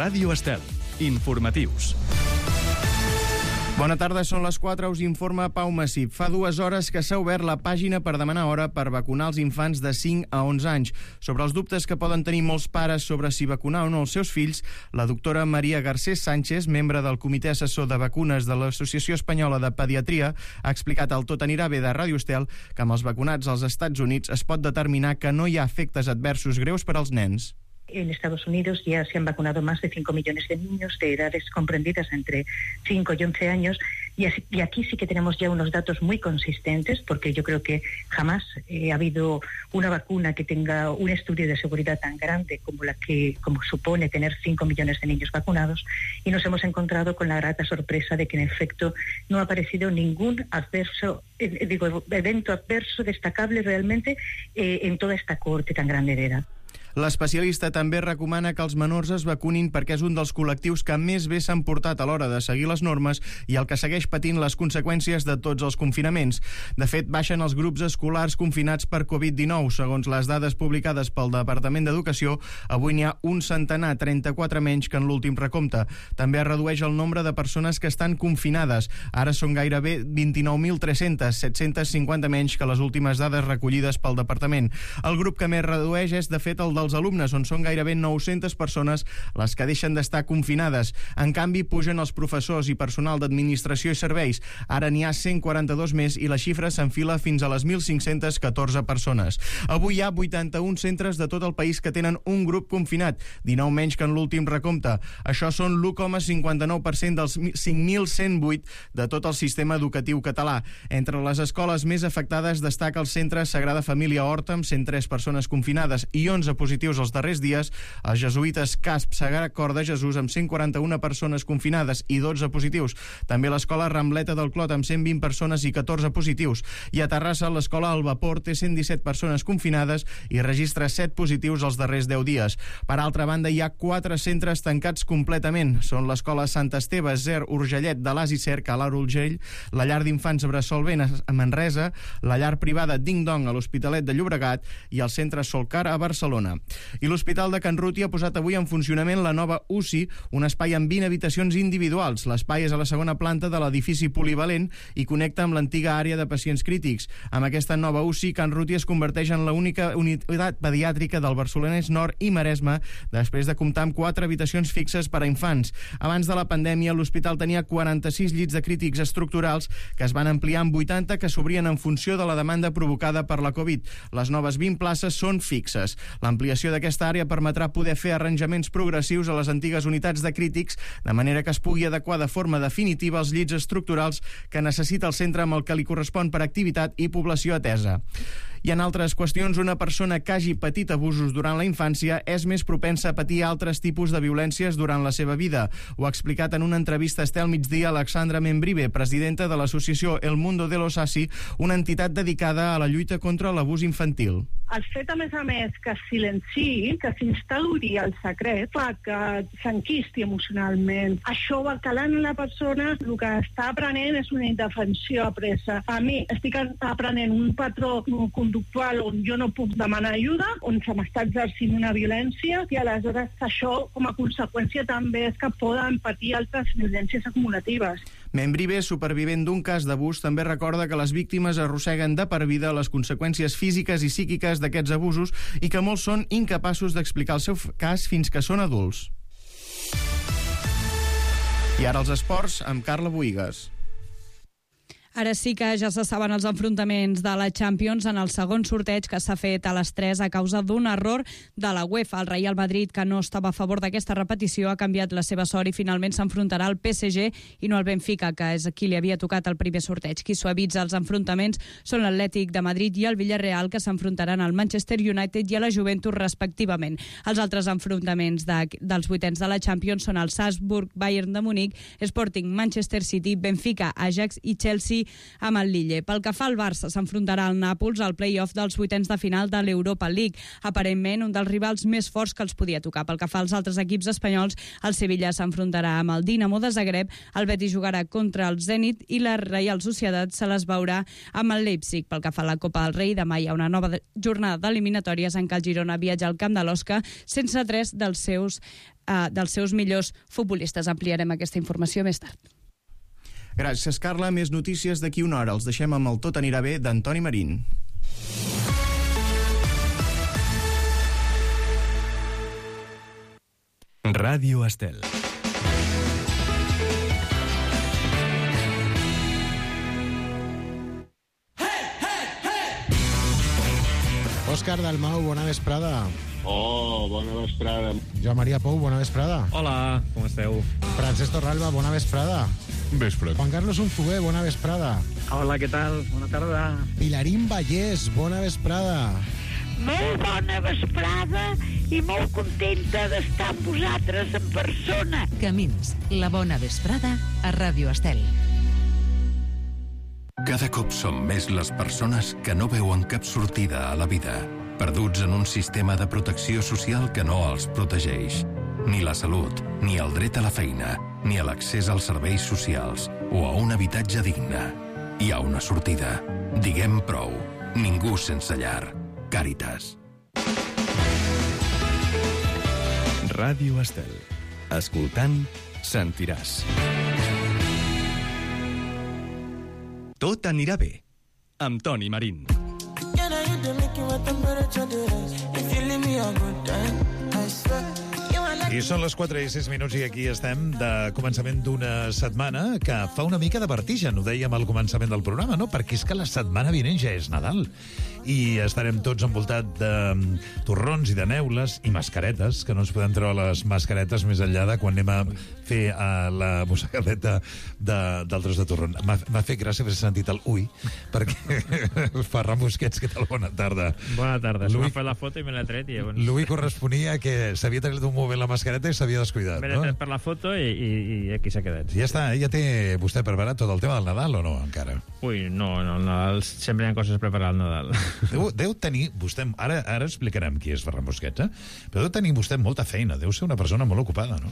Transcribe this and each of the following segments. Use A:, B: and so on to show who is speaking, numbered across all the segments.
A: Ràdio Estel. Informatius.
B: Bona tarda, són les 4, us informa Pau Massip. Fa 2 hores que s'ha obert la pàgina per demanar hora per vacunar els infants de 5 a 11 anys. Sobre els dubtes que poden tenir molts pares sobre si vacunar o no els seus fills, la doctora Maria Garcés Sánchez, membre del Comitè Assessor de Vacunes de l'Associació Espanyola de Pediatria, ha explicat al Tot anirà bé de Ràdio Estel que amb els vacunats als Estats Units es pot determinar que no hi ha efectes adversos greus per als nens.
C: En Estados Unidos ya se han vacunado más de 5 millones de niños de edades comprendidas entre 5 y 11 años y aquí sí que tenemos ya unos datos muy consistentes porque yo creo que jamás ha habido una vacuna que tenga un estudio de seguridad tan grande como supone tener 5 millones de niños vacunados y nos hemos encontrado con la grata sorpresa de que en efecto no ha aparecido ningún evento adverso destacable realmente en toda esta cohorte tan grande de edad.
B: L'especialista també recomana que els menors es vacunin perquè és un dels col·lectius que més bé s'han portat a l'hora de seguir les normes i el que segueix patint les conseqüències de tots els confinaments. De fet, baixen els grups escolars confinats per Covid-19. Segons les dades publicades pel Departament d'Educació, avui n'hi ha un centenar, 34 menys que en l'últim recompte. També es redueix el nombre de persones que estan confinades. Ara són gairebé 29.300, 750 menys que les últimes dades recollides pel Departament. El grup que més redueix és, de fet, el dels alumnes, on són gairebé 900 persones les que deixen d'estar confinades. En canvi, pugen els professors i personal d'administració i serveis. Ara n'hi ha 142 més i la xifra s'enfila fins a les 1.514 persones. Avui hi ha 81 centres de tot el país que tenen un grup confinat, 19 menys que en l'últim recompte. Això són l'1,59% dels 5.108 de tot el sistema educatiu català. Entre les escoles més afectades destaca el centre Sagrada Família Horta, amb 103 persones confinades i 11 positius els darrers dies, els jesuïtes Casp Sagrat Cor de Jesús amb 141 persones confinades i 12 positius. També l'escola Rambleta del Clot amb 120 persones i 14 positius. I a Terrassa l'escola El Vapor té 117 persones confinades i registra 7 positius els darrers 10 dies. Per altra banda, hi ha 4 centres tancats completament. Són l'escola Sant Esteve, Zer, Urgellet, de l'As i Cerc a l'Alt Urgell, la llar d'infants Bressol Vent a Manresa, la llar privada Ding Dong a l'Hospitalet de Llobregat i el centre Solcar a Barcelona. I l'Hospital de Can Ruti ha posat avui en funcionament la nova UCI, un espai amb 20 habitacions individuals. L'espai és a la segona planta de l'edifici polivalent i connecta amb l'antiga àrea de pacients crítics. Amb aquesta nova UCI, Can Ruti es converteix en l'única unitat pediàtrica del Barcelonès Nord i Maresme, després de comptar amb 4 habitacions fixes per a infants. Abans de la pandèmia, l'hospital tenia 46 llits de crítics estructurals que es van ampliar amb 80 que s'obrien en funció de la demanda provocada per la Covid. Les noves 20 places són fixes. L'ampliació d'aquesta àrea permetrà poder fer arranjaments progressius a les antigues unitats de crítics, de manera que es pugui adequar de forma definitiva els llits estructurals que necessita el centre amb el que li correspon per activitat i població atesa. I en altres qüestions, una persona que hagi patit abusos durant la infància és més propensa a patir altres tipus de violències durant la seva vida. Ho ha explicat en una entrevista a Estel Migdia Alexandra Membrive, presidenta de l'associació El Mundo de los Asi, una entitat dedicada a la lluita contra l'abús infantil.
D: El fet, a més, que es silenciï, que s'instauri el secret, fa que s'enquisti emocionalment. Això va calant la persona, el que està aprenent és una indefensió apresa. A mi estic aprenent un patró conductual on jo no puc demanar ajuda, on se m'està exercint una violència, i aleshores això, com a conseqüència, també és que poden patir altres violències acumulatives.
B: Membrive, supervivent d'un cas d'abús, també recorda que les víctimes arrosseguen de per vida les conseqüències físiques i psíquiques d'aquests abusos i que molts són incapaços d'explicar el seu cas fins que són adults. I ara els esports amb Carla Boïgues.
E: Ara sí que ja se saben els enfrontaments de la Champions en el segon sorteig que s'ha fet a les 3 a causa d'un error de la UEFA. El Real Madrid, que no estava a favor d'aquesta repetició, ha canviat la seva sort i finalment s'enfrontarà al PSG i no al Benfica, que és qui li havia tocat el primer sorteig. Qui suavitza els enfrontaments són l'Atlètic de Madrid i el Villarreal, que s'enfrontaran al Manchester United i a la Juventus respectivament. Els altres enfrontaments dels vuitens de la Champions són el Salzburg, Bayern de Munic, Sporting, Manchester City, Benfica, Ajax i Chelsea, amb el Lille. Pel que fa al Barça, s'enfrontarà al Nàpols al play-off dels vuitens de final de l'Europa League, aparentment un dels rivals més forts que els podia tocar. Pel que fa als altres equips espanyols, el Sevilla s'enfrontarà amb el Dinamo de Zagreb, el Betis jugarà contra el Zenit i la Real Sociedad se les veurà amb el Leipzig. Pel que fa a la Copa del Rei, demà hi ha una nova jornada d'eliminatòries en què el Girona viatja al camp de l'Osca sense 3 dels seus millors futbolistes. Ampliarem aquesta informació més tard.
B: Gràcies, Carla. Més notícies d'aquí una hora. Els deixem amb el Tot anirà bé d'Antoni Marín.
A: Ràdio Estel.
F: Òscar Dalmau, bona vesprada.
G: Oh, bona vesprada.
F: Joan Maria Pou, bona vesprada.
H: Hola, com esteu?
F: Francesc Torralba, bona vesprada.
G: Vespre.
F: Juan Carlos Unzué, bona vesprada.
H: Hola, què tal? Bona tarda.
F: Pilarín Vallès, bona vesprada.
I: Molt bona vesprada i molt contenta d'estar amb vosaltres en persona.
J: Camins, la bona vesprada a Ràdio Estel.
K: Cada cop som més les persones que no veuen cap sortida a la vida, perduts en un sistema de protecció social que no els protegeix. Ni la salut, ni el dret a la feina, ni a l'accés als serveis socials o a un habitatge digne. Hi ha una sortida. Diguem prou. Ningú sense llar. Càritas.
A: Ràdio Estel. Escoltant, sentiràs. Tot anirà bé, amb Toni Marín.
L: I són les 4 i 6 minuts i aquí estem de començament d'una setmana que fa una mica de vertigen, ho dèiem al començament del programa, no? Perquè és que la setmana vinent ja és Nadal i estarem tots envoltats de torrons i de neules i mascaretes, que no ens podem treure les mascaretes més enllà de quan anem a fer la mossegadeta d'altres de torron. M'ha fet gràcia haver sentit el ui, perquè Ferran Busquets, què tal? Bona tarda.
H: Bona tarda. M'ha fet la foto i me l'he tret.
L: L'ui corresponia que s'havia tret un moment la mascareta i s'havia descuidat,
H: no? Me l'he tret per la foto i aquí s'ha quedat.
L: Ja està, ja té vostè preparat tot el tema del Nadal o no, encara?
H: Ui, no, el Nadal sempre hi ha coses a preparar al Nadal.
L: Deu tenir vostè... Ara explicarem qui és Ferran Busquets, però deu tenir vostè molta feina, deu ser una persona molt ocupada, no?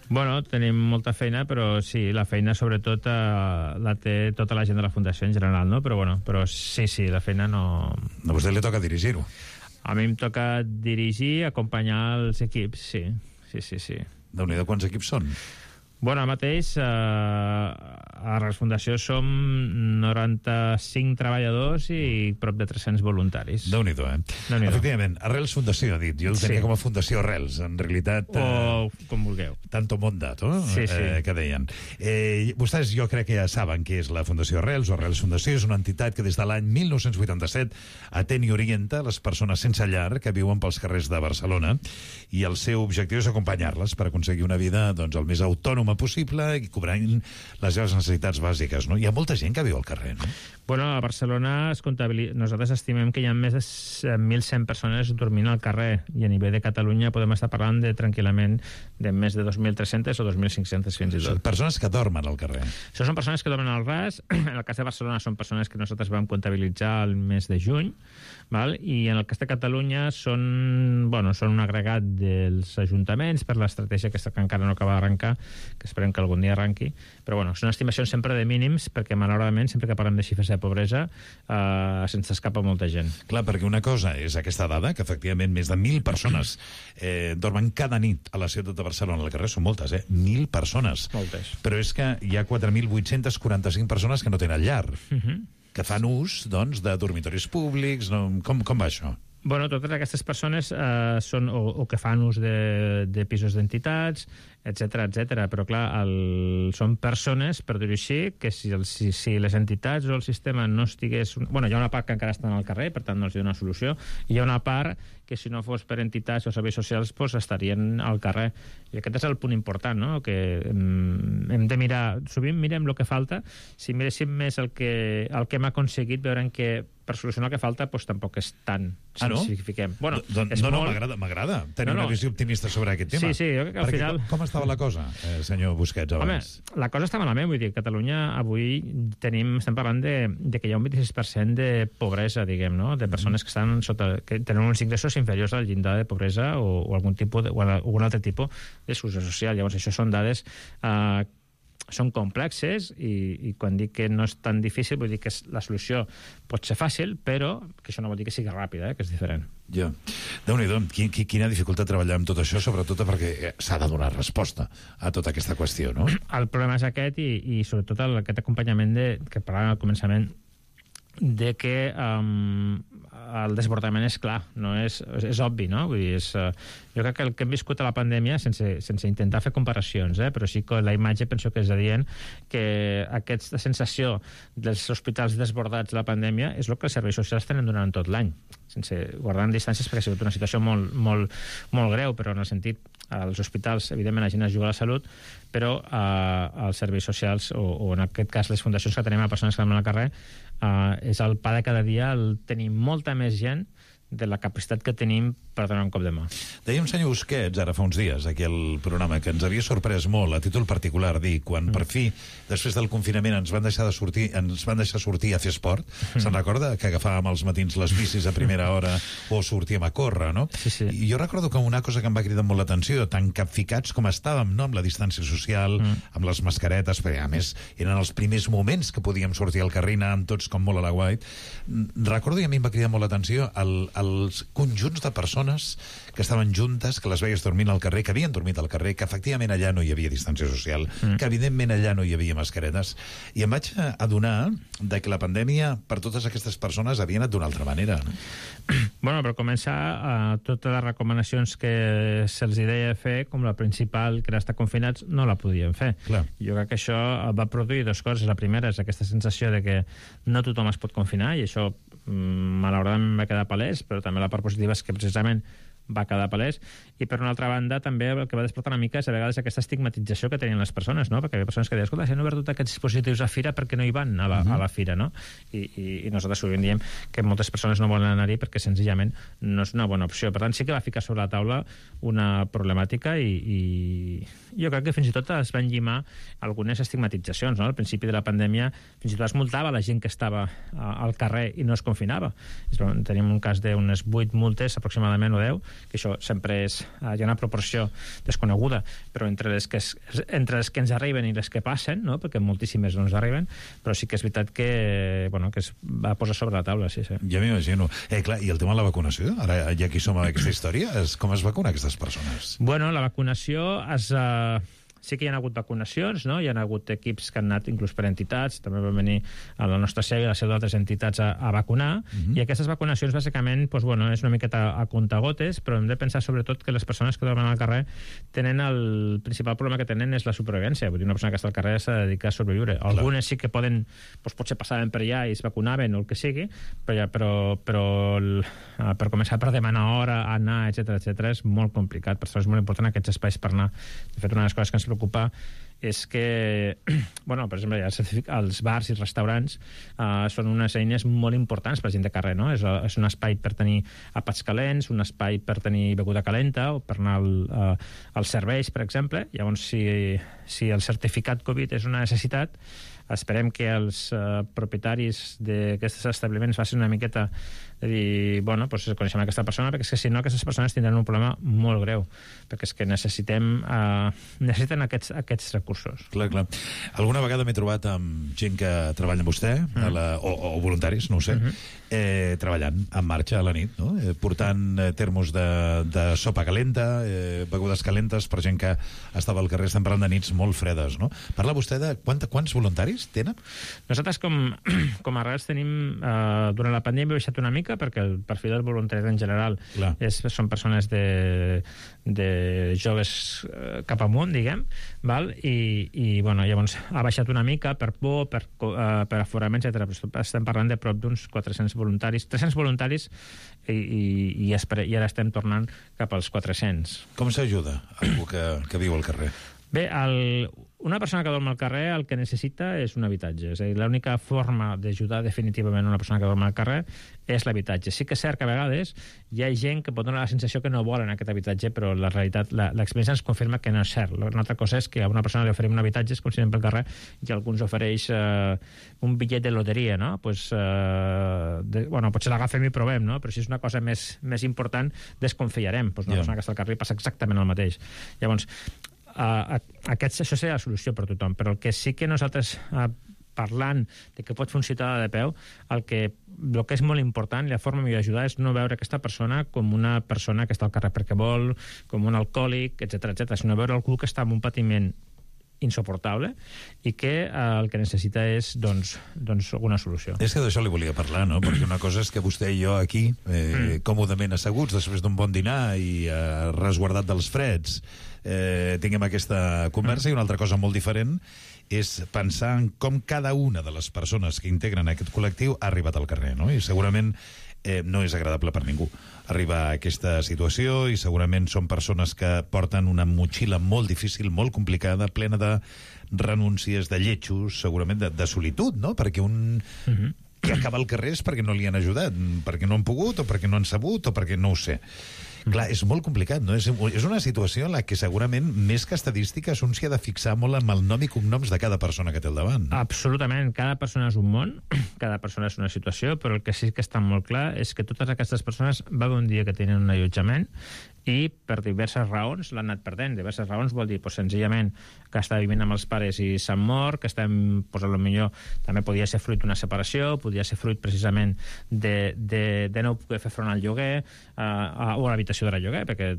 H: Bueno, tenim molta feina, però sí, la feina sobretot la té tota la gent de la Fundació en general, no? Però sí, la feina no...
L: A vostè li toca dirigir-ho.
H: A mi em toca dirigir, acompanyar els equips, sí.
L: Déu-n'hi-do, quants equips són?
H: Bueno, ara mateix a la Fundació som 95 treballadors i prop de 300 voluntaris.
L: Déu-n'hi-do,
H: Déu-n'hi-do.
L: Efectivament, Arrels Fundació, ha dit. Jo el tenia com a Fundació Arrels, en realitat...
H: O com vulgueu.
L: Tanto mondato,
H: sí.
L: Que deien. Vostès jo crec que ja saben què és la Fundació Arrels, o Arrels Fundació és una entitat que des de l'any 1987 atén i orienta les persones sense llar que viuen pels carrers de Barcelona i el seu objectiu és acompanyar-les per aconseguir una vida el més autònoma possible i cobrant les seves necessitats bàsiques, no? Hi ha molta gent que viu al carrer, no?
H: Bueno, a Barcelona nosaltres estimem que hi ha més de 1.100 persones dormint al carrer i a nivell de Catalunya podem estar parlant tranquil·lament de més de 2.300 o 2.500 fins i tot.
L: Són persones que dormen al carrer.
H: Això són persones que dormen al ras. En el cas de Barcelona són persones que nosaltres vam comptabilitzar el mes de juny, val? I en el cas de Catalunya són un agregat dels ajuntaments per l'estratègia que encara no acaba d'arrencar, que esperem que algun dia arranqui, però són estimacions sempre de mínims, perquè malauradament sempre que parlem de xifres de pobresa se'ns escapa molta gent.
L: Clar, perquè una cosa és aquesta dada, que efectivament més de 1.000 persones dormen cada nit a la ciutat de Barcelona al carrer, són moltes, 1.000 persones.
H: Moltes.
L: Però és que hi ha 4.845 persones que no tenen llar, que fan ús, de dormitoris públics, com va això?
H: Bueno, totes aquestes persones són o que fan ús de pisos d'entitats, etc. Però, clar, són persones, per dir-ho així, que si les entitats o el sistema no estigués... Bueno, hi ha una part que encara estan al carrer, per tant no els dona solució, i hi ha una part que si no fos per entitats o serveis socials estarien al carrer. I aquest és el punt important, no?, que hem de mirar... Sovint mirem el que falta. Si miréssim més el que hem aconseguit, veurem que per solucionar el que falta doncs tampoc és tant,
L: no?
H: si fiquem. Bueno,
L: m'agrada tenir una visió optimista sobre aquest tema.
H: Sí, jo crec que al final...
L: Com estava la cosa, senyor Busquets, abans?
H: Home, la cosa està malament, vull dir, Catalunya avui estem parlant de que hi ha un 26% de pobresa, diguem, no? De persones que estan que tenen uns ingressos inferiors al llindar de pobresa o algun altre tipus d'exclusió social. Llavors, això són dades són complexes i quan dic que no és tan difícil vull dir que la solució pot ser fàcil, però que això no vol dir que sigui ràpida, que és diferent.
L: Ja. Déu-n'hi-do, quina dificultat treballar amb tot això, sobretot perquè s'ha de donar resposta a tota aquesta qüestió, no?
H: El problema és aquest i sobretot aquest acompanyament que parlàvem al començament de que el desbordament és clar, no és obvi, no? Vull dir, jo crec que el que hem viscut a la pandèmia, sense intentar fer comparacions, però sí que la imatge penso que és adient que aquesta sensació dels hospitals desbordats de la pandèmia és el que els serveis socials tenen durant tot l'any, sense guardar distàncies perquè ha sigut una situació molt greu, però en el sentit als hospitals, evidentment, la gent es juga a la salut, però als serveis socials, o en aquest cas les fundacions que tenim a persones que estan al carrer, és el pa de cada dia el tenir molta més gent de la capacitat que tenim per donar un cop de mà.
L: Deia un senyor Busquets, ara fa uns dies, aquí al programa, que ens havia sorprès molt, a títol particular, dir, quan per fi, després del confinament, ens van deixar sortir a fer esport, se'n recorda que agafàvem als matins les bicis a primera hora o sortíem a córrer, no?
H: Sí.
L: I jo recordo que una cosa que em va cridar molt l'atenció, tan capficats com estàvem, no?, amb la distància social, amb les mascaretes, perquè a més eren els primers moments que podíem sortir al carrer, anàvem tots com molt a la guait. Recordo, i a mi em va cridar molt l'atenció, els conjunts de persones que estaven juntes, que les veies dormint al carrer, que havien dormit al carrer, que efectivament allà no hi havia distància social, que evidentment allà no hi havia mascaretes, i em vaig adonar de que la pandèmia per totes aquestes persones havia anat d'una altra manera.
H: Bueno, per començar, totes les recomanacions que se'ls deia fer, com la principal, que era estar confinats, no la podien fer.
L: Clar.
H: Jo crec que això va produir dues coses. La primera és aquesta sensació de que no tothom es pot confinar, i això malauradament va quedar palès, però també la part positiva és que precisament va quedar palès, i per una altra banda també el que va despertar una mica és a vegades aquesta estigmatització que tenien les persones, no? Perquè hi ha persones que deien, escolta, si han obert tots aquests dispositius a fira, perquè no hi van a la fira, no? I nosaltres sovint diem que moltes persones no volen anar-hi perquè senzillament no és una bona opció. Per tant, sí que va ficar sobre la taula una problemàtica i jo crec que fins i tot es van llimar algunes estigmatitzacions, no? Al principi de la pandèmia fins i tot es multava la gent que estava al carrer i no es confinava. Tenim un cas d'unes 8 multes aproximadament o 10, que això sempre hi ha una proporció desconeguda, però entre les que ens arriben i les que passen, no? Perquè moltíssimes no ens arriben, però sí que és veritat que es va posar sobre la taula, sí.
L: Ja m'imagino. Clar, i el tema de la vacunació? Ara, ja que som a aquesta història, com es vacunen aquestes persones?
H: Bueno, la vacunació sí que hi ha hagut vacunacions, no? Hi ha hagut equips que han anat inclús per entitats, també van venir a la nostra seu i a la seu d'altres entitats a vacunar, i aquestes vacunacions bàsicament és una miqueta a comptagotes, però hem de pensar sobretot que les persones que dormen al carrer tenen el principal problema que tenen és la supervivència. Vull dir, una persona que està al carrer s'ha de dedicar a sobreviure. Algunes sí que potser passaven per allà i es vacunaven o el que sigui, però per començar per demanar hora, anar, etc és molt complicat. Per això és molt important aquests espais per anar. De fet, una de les coses que ens preocupa és que, per exemple, els bars i restaurants són unes eines molt importants per la gent de carrer, no? És un espai per tenir àpats calents, un espai per tenir beguda calenta o per anar als serveis, per exemple. Llavors, si el certificat Covid és una necessitat, esperem que els propietaris d'aquests establiments facin una miqueta de dir, coneixem aquesta persona, perquè és que si no aquestes persones tindran un problema molt greu, perquè és que necessiten aquests recursos.
L: Clar. Alguna vegada m'he trobat amb gent que treballa amb vostè, o voluntaris, no ho sé, treballant en marxa a la nit, no? Portant termos de sopa calenta, begudes calentes per gent que estava al carrer. Estem parlant de nits molt fredes, no? Parla vostè de quants voluntaris tenen?
H: Nosaltres com a Arrels tenim, durant la pandèmia hem baixat una mica perquè el perfil del voluntari en general són persones de joves cap amunt, diguem, val? I llavors ha baixat una mica per por, per aforament, etc. Però estem parlant de prop d'uns 400 voluntaris, 300 voluntaris i ara estem tornant cap als 400.
L: Com s'ajuda algú que viu al carrer?
H: Bé, Una persona que dorm al carrer el que necessita és un habitatge. És a dir, l'única forma d'ajudar definitivament una persona que dorm al carrer és l'habitatge. Sí que és cert que a vegades hi ha gent que pot donar la sensació que no volen aquest habitatge, però la realitat, l'experiència ens confirma que no és cert. Una altra cosa és que a una persona li oferim un habitatge, és com si anem pel carrer i algú ens ofereix un bitllet de loteria, no? Pues, potser l'agafem i provem, no? Però si és una cosa més important, desconfiarem. Pues una persona que està al carrer passa exactament el mateix. Llavors, això seria la solució per a tothom, però el que sí que nosaltres parlant de què pot fer un ciutadà de peu, el que és molt important i la forma millor d'ajudar és no veure aquesta persona com una persona que està al carrer perquè vol, com un alcohòlic, etc, sinó veure algú que està amb un patiment insoportable i que el que necessita és doncs una solució.
L: És que d'això li volia parlar, no? Perquè una cosa és que vostè i jo aquí, còmodament asseguts després d'un bon dinar i resguardat dels freds, tinguem aquesta conversa, i una altra cosa molt diferent és pensar en com cada una de les persones que integren aquest col·lectiu ha arribat al carrer, no? I segurament no és agradable per ningú arribar a aquesta situació, i segurament són persones que porten una motxilla molt difícil, molt complicada, plena de renúncies, de lletjos, segurament de solitud, no? Perquè un que acaba al carrer és perquè no li han ajudat, perquè no han pogut, o perquè no han sabut, o perquè no ho sé. Clar, és molt complicat, no? És una situació en la que segurament, més que estadístiques, un s'hi ha de fixar molt amb el nom i cognoms de cada persona que té al davant.
H: Absolutament. Cada persona és un món, cada persona és una situació, però el que sí que està molt clar és que totes aquestes persones va haver un dia que tenen un allotjament i per diverses raons l'han anat perdent. Diverses raons vol dir, senzillament, que està vivint amb els pares i s'han mort, que estem, potser també podia ser fruit d'una separació, podia ser fruit precisament de no poder fer front al lloguer o a l'habitació de lloguer, perquè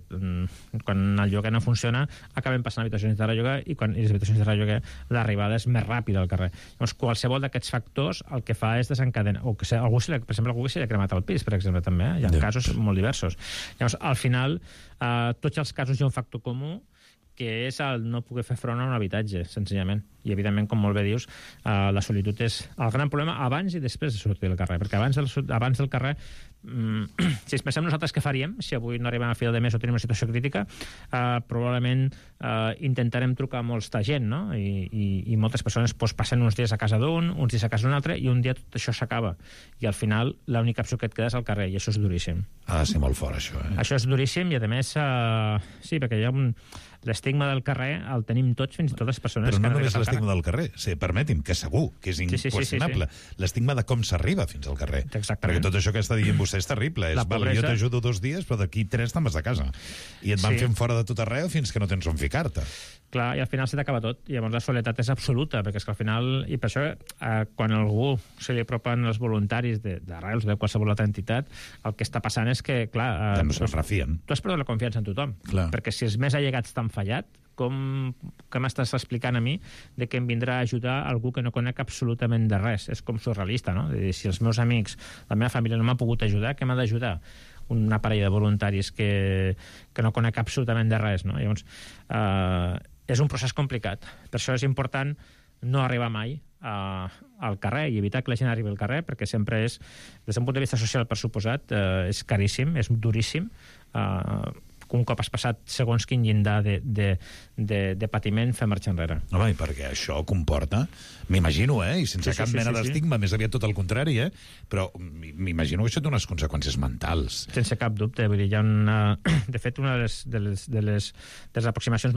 H: quan el lloguer no funciona acabem passant a habitacions de lloguer, i les habitacions de lloguer l'arribada és més ràpida al carrer. Llavors, qualsevol d'aquests factors el que fa és desencadenar, o que algú, per exemple, algú s'ha cremat el pis, per exemple, també, hi ha casos molt diversos. Llavors, al final, tots els casos hi ha un factor comú, que és el no poder fer front a un habitatge, senzillament. I, evidentment, com molt bé dius, la solitud és el gran problema abans i després de sortir del carrer, perquè abans del carrer, si es pensem nosaltres què faríem, si avui no arribem a final de mes o tenim una situació crítica, probablement intentarem trucar a molta gent, no? I moltes persones passen uns dies a casa d'un, uns dies a casa d'un altre, i un dia tot això s'acaba. I al final l'única opció que et queda és al carrer, i això és duríssim.
L: Ha de ser molt fort, això,
H: Això és duríssim, i a més, sí, perquè hi ha l'estigma del carrer el tenim tots, fins i tot les persones
L: però
H: que
L: no només l'estigma del carrer, permeti'm, que segur que és inqüestionable. L'estigma de com s'arriba fins al carrer. Perquè tot això que està dient vostè és terrible. Jo t'ajudo 2 dies, però d'aquí 3 te'n vas de casa. I et van fent fora de tot arreu fins que no tens on ficar-te.
H: Clar, i al final se t'acaba tot. I llavors la soledat és absoluta, perquè és que al final... I per això, quan a algú se li apropen els voluntaris d'Arrels o de qualsevol altra entitat, el que està passant és que, clar...
L: no se'n refien.
H: Tu has perdut la confiança en tothom.
L: Clar.
H: Perquè si els més allegats t'han fallat, com m'estàs explicant a mi de que em vindrà a ajudar algú que no conec absolutament de res? És com surrealista, no? Si els meus amics, la meva família no m'ha pogut ajudar, què m'ha d'ajudar? Una parella de voluntaris que no conec absolutament de res, no? Llavors, és un procés complicat. Per això és important no arribar mai al carrer i evitar que la gent arribi al carrer, perquè sempre és, des d'un punt de vista social, per suposat, és caríssim, és duríssim, un cop has passat segons quin llindar de patiment, fer marxa enrere.
L: Home, perquè això comporta, m'imagino, i sense cap mena d'estigma, més aviat tot el contrari, però m'imagino que això té unes conseqüències mentals.
H: Sense cap dubte, vull dir, hi ha una... De fet, una de les aproximacions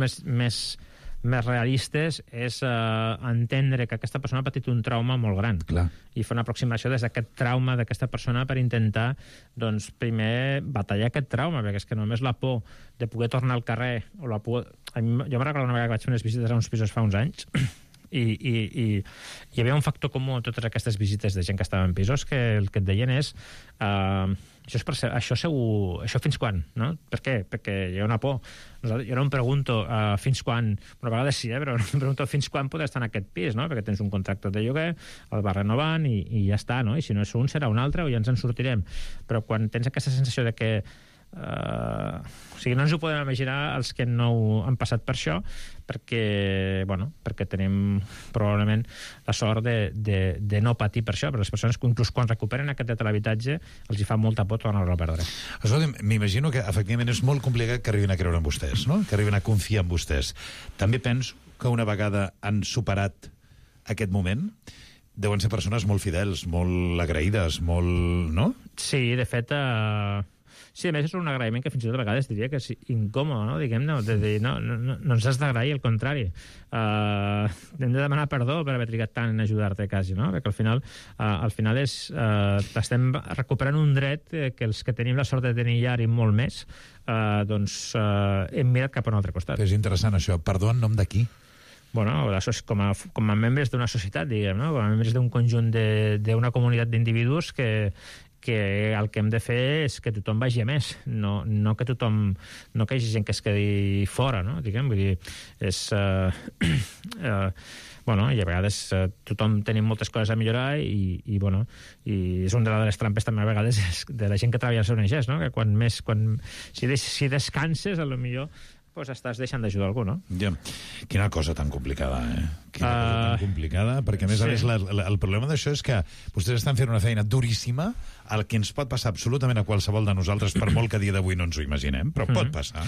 H: més realistes és entendre que aquesta persona ha patit un trauma molt gran.
L: Clar.
H: I fer una aproximació des d'aquest trauma d'aquesta persona per intentar, doncs, primer batallar aquest trauma, perquè és que només la por de poder tornar al carrer, o la por... Jo me'n recordo una vegada que vaig fer unes visites a uns pisos fa uns anys, i hi havia un factor comú en totes aquestes visites de gent que estava en pisos, que el que et deien és això fins quan, no? Per què? Perquè hi ha una por. Jo no em pregunto fins quan, una vegada sí, però no em pregunto fins quan podrà estar en aquest pis, no? Perquè tens un contracte de lloguer, el va renovant i ja està, no? I si no és un serà un altre o ja ens en sortirem. Però quan tens aquesta sensació de que o sigui, no ens ho podem imaginar els que no han passat per això, perquè tenim probablement la sort de no patir per això, però les persones que inclús quan recuperen aquest dret a l'habitatge els hi fa molta por tornar-lo a perdre.
L: Escolta'm, m'imagino que efectivament és molt complicat que arribin a creure en vostès, no? Que arribin a confiar en vostès. També penso que una vegada han superat aquest moment, deuen ser persones molt fidels, molt agraïdes, molt... no?
H: Sí, de fet... Sí, a més és un agraïment que fins i tot a vegades diria que és incòmode, no? Diguem-ne, no ens has d'agrair, al contrari. Hem de demanar perdó per haver trigat tant en ajudar-te, quasi, no? Perquè al final estem recuperant un dret que els que tenim la sort de tenir ja i molt més, hem mirat cap a un altre costat.
L: És interessant, això. Perdó en nom de qui?
H: Bueno, com a membres d'una societat, diguem, no? Com a membres d'un conjunt d'una comunitat d'individus que el que hem de fer és que tothom vagi a més, no que tothom, no que hi hagi gent que es quedi fora, no? Diguem, vull dir, és... bueno, i a vegades tothom tenim moltes coses a millorar i és una de les trampes també a vegades de la gent que treballa als ONGs, no? Que si descanses, potser pues estàs deixant d'ajudar algú, no?
L: Ja. Quina cosa tan complicada, Quina cosa tan complicada, perquè a més a més el problema d'això és que vostès estan fent una feina duríssima, el que ens pot passar absolutament a qualsevol de nosaltres, per molt que a dia d'avui no ens ho imaginem, però pot passar.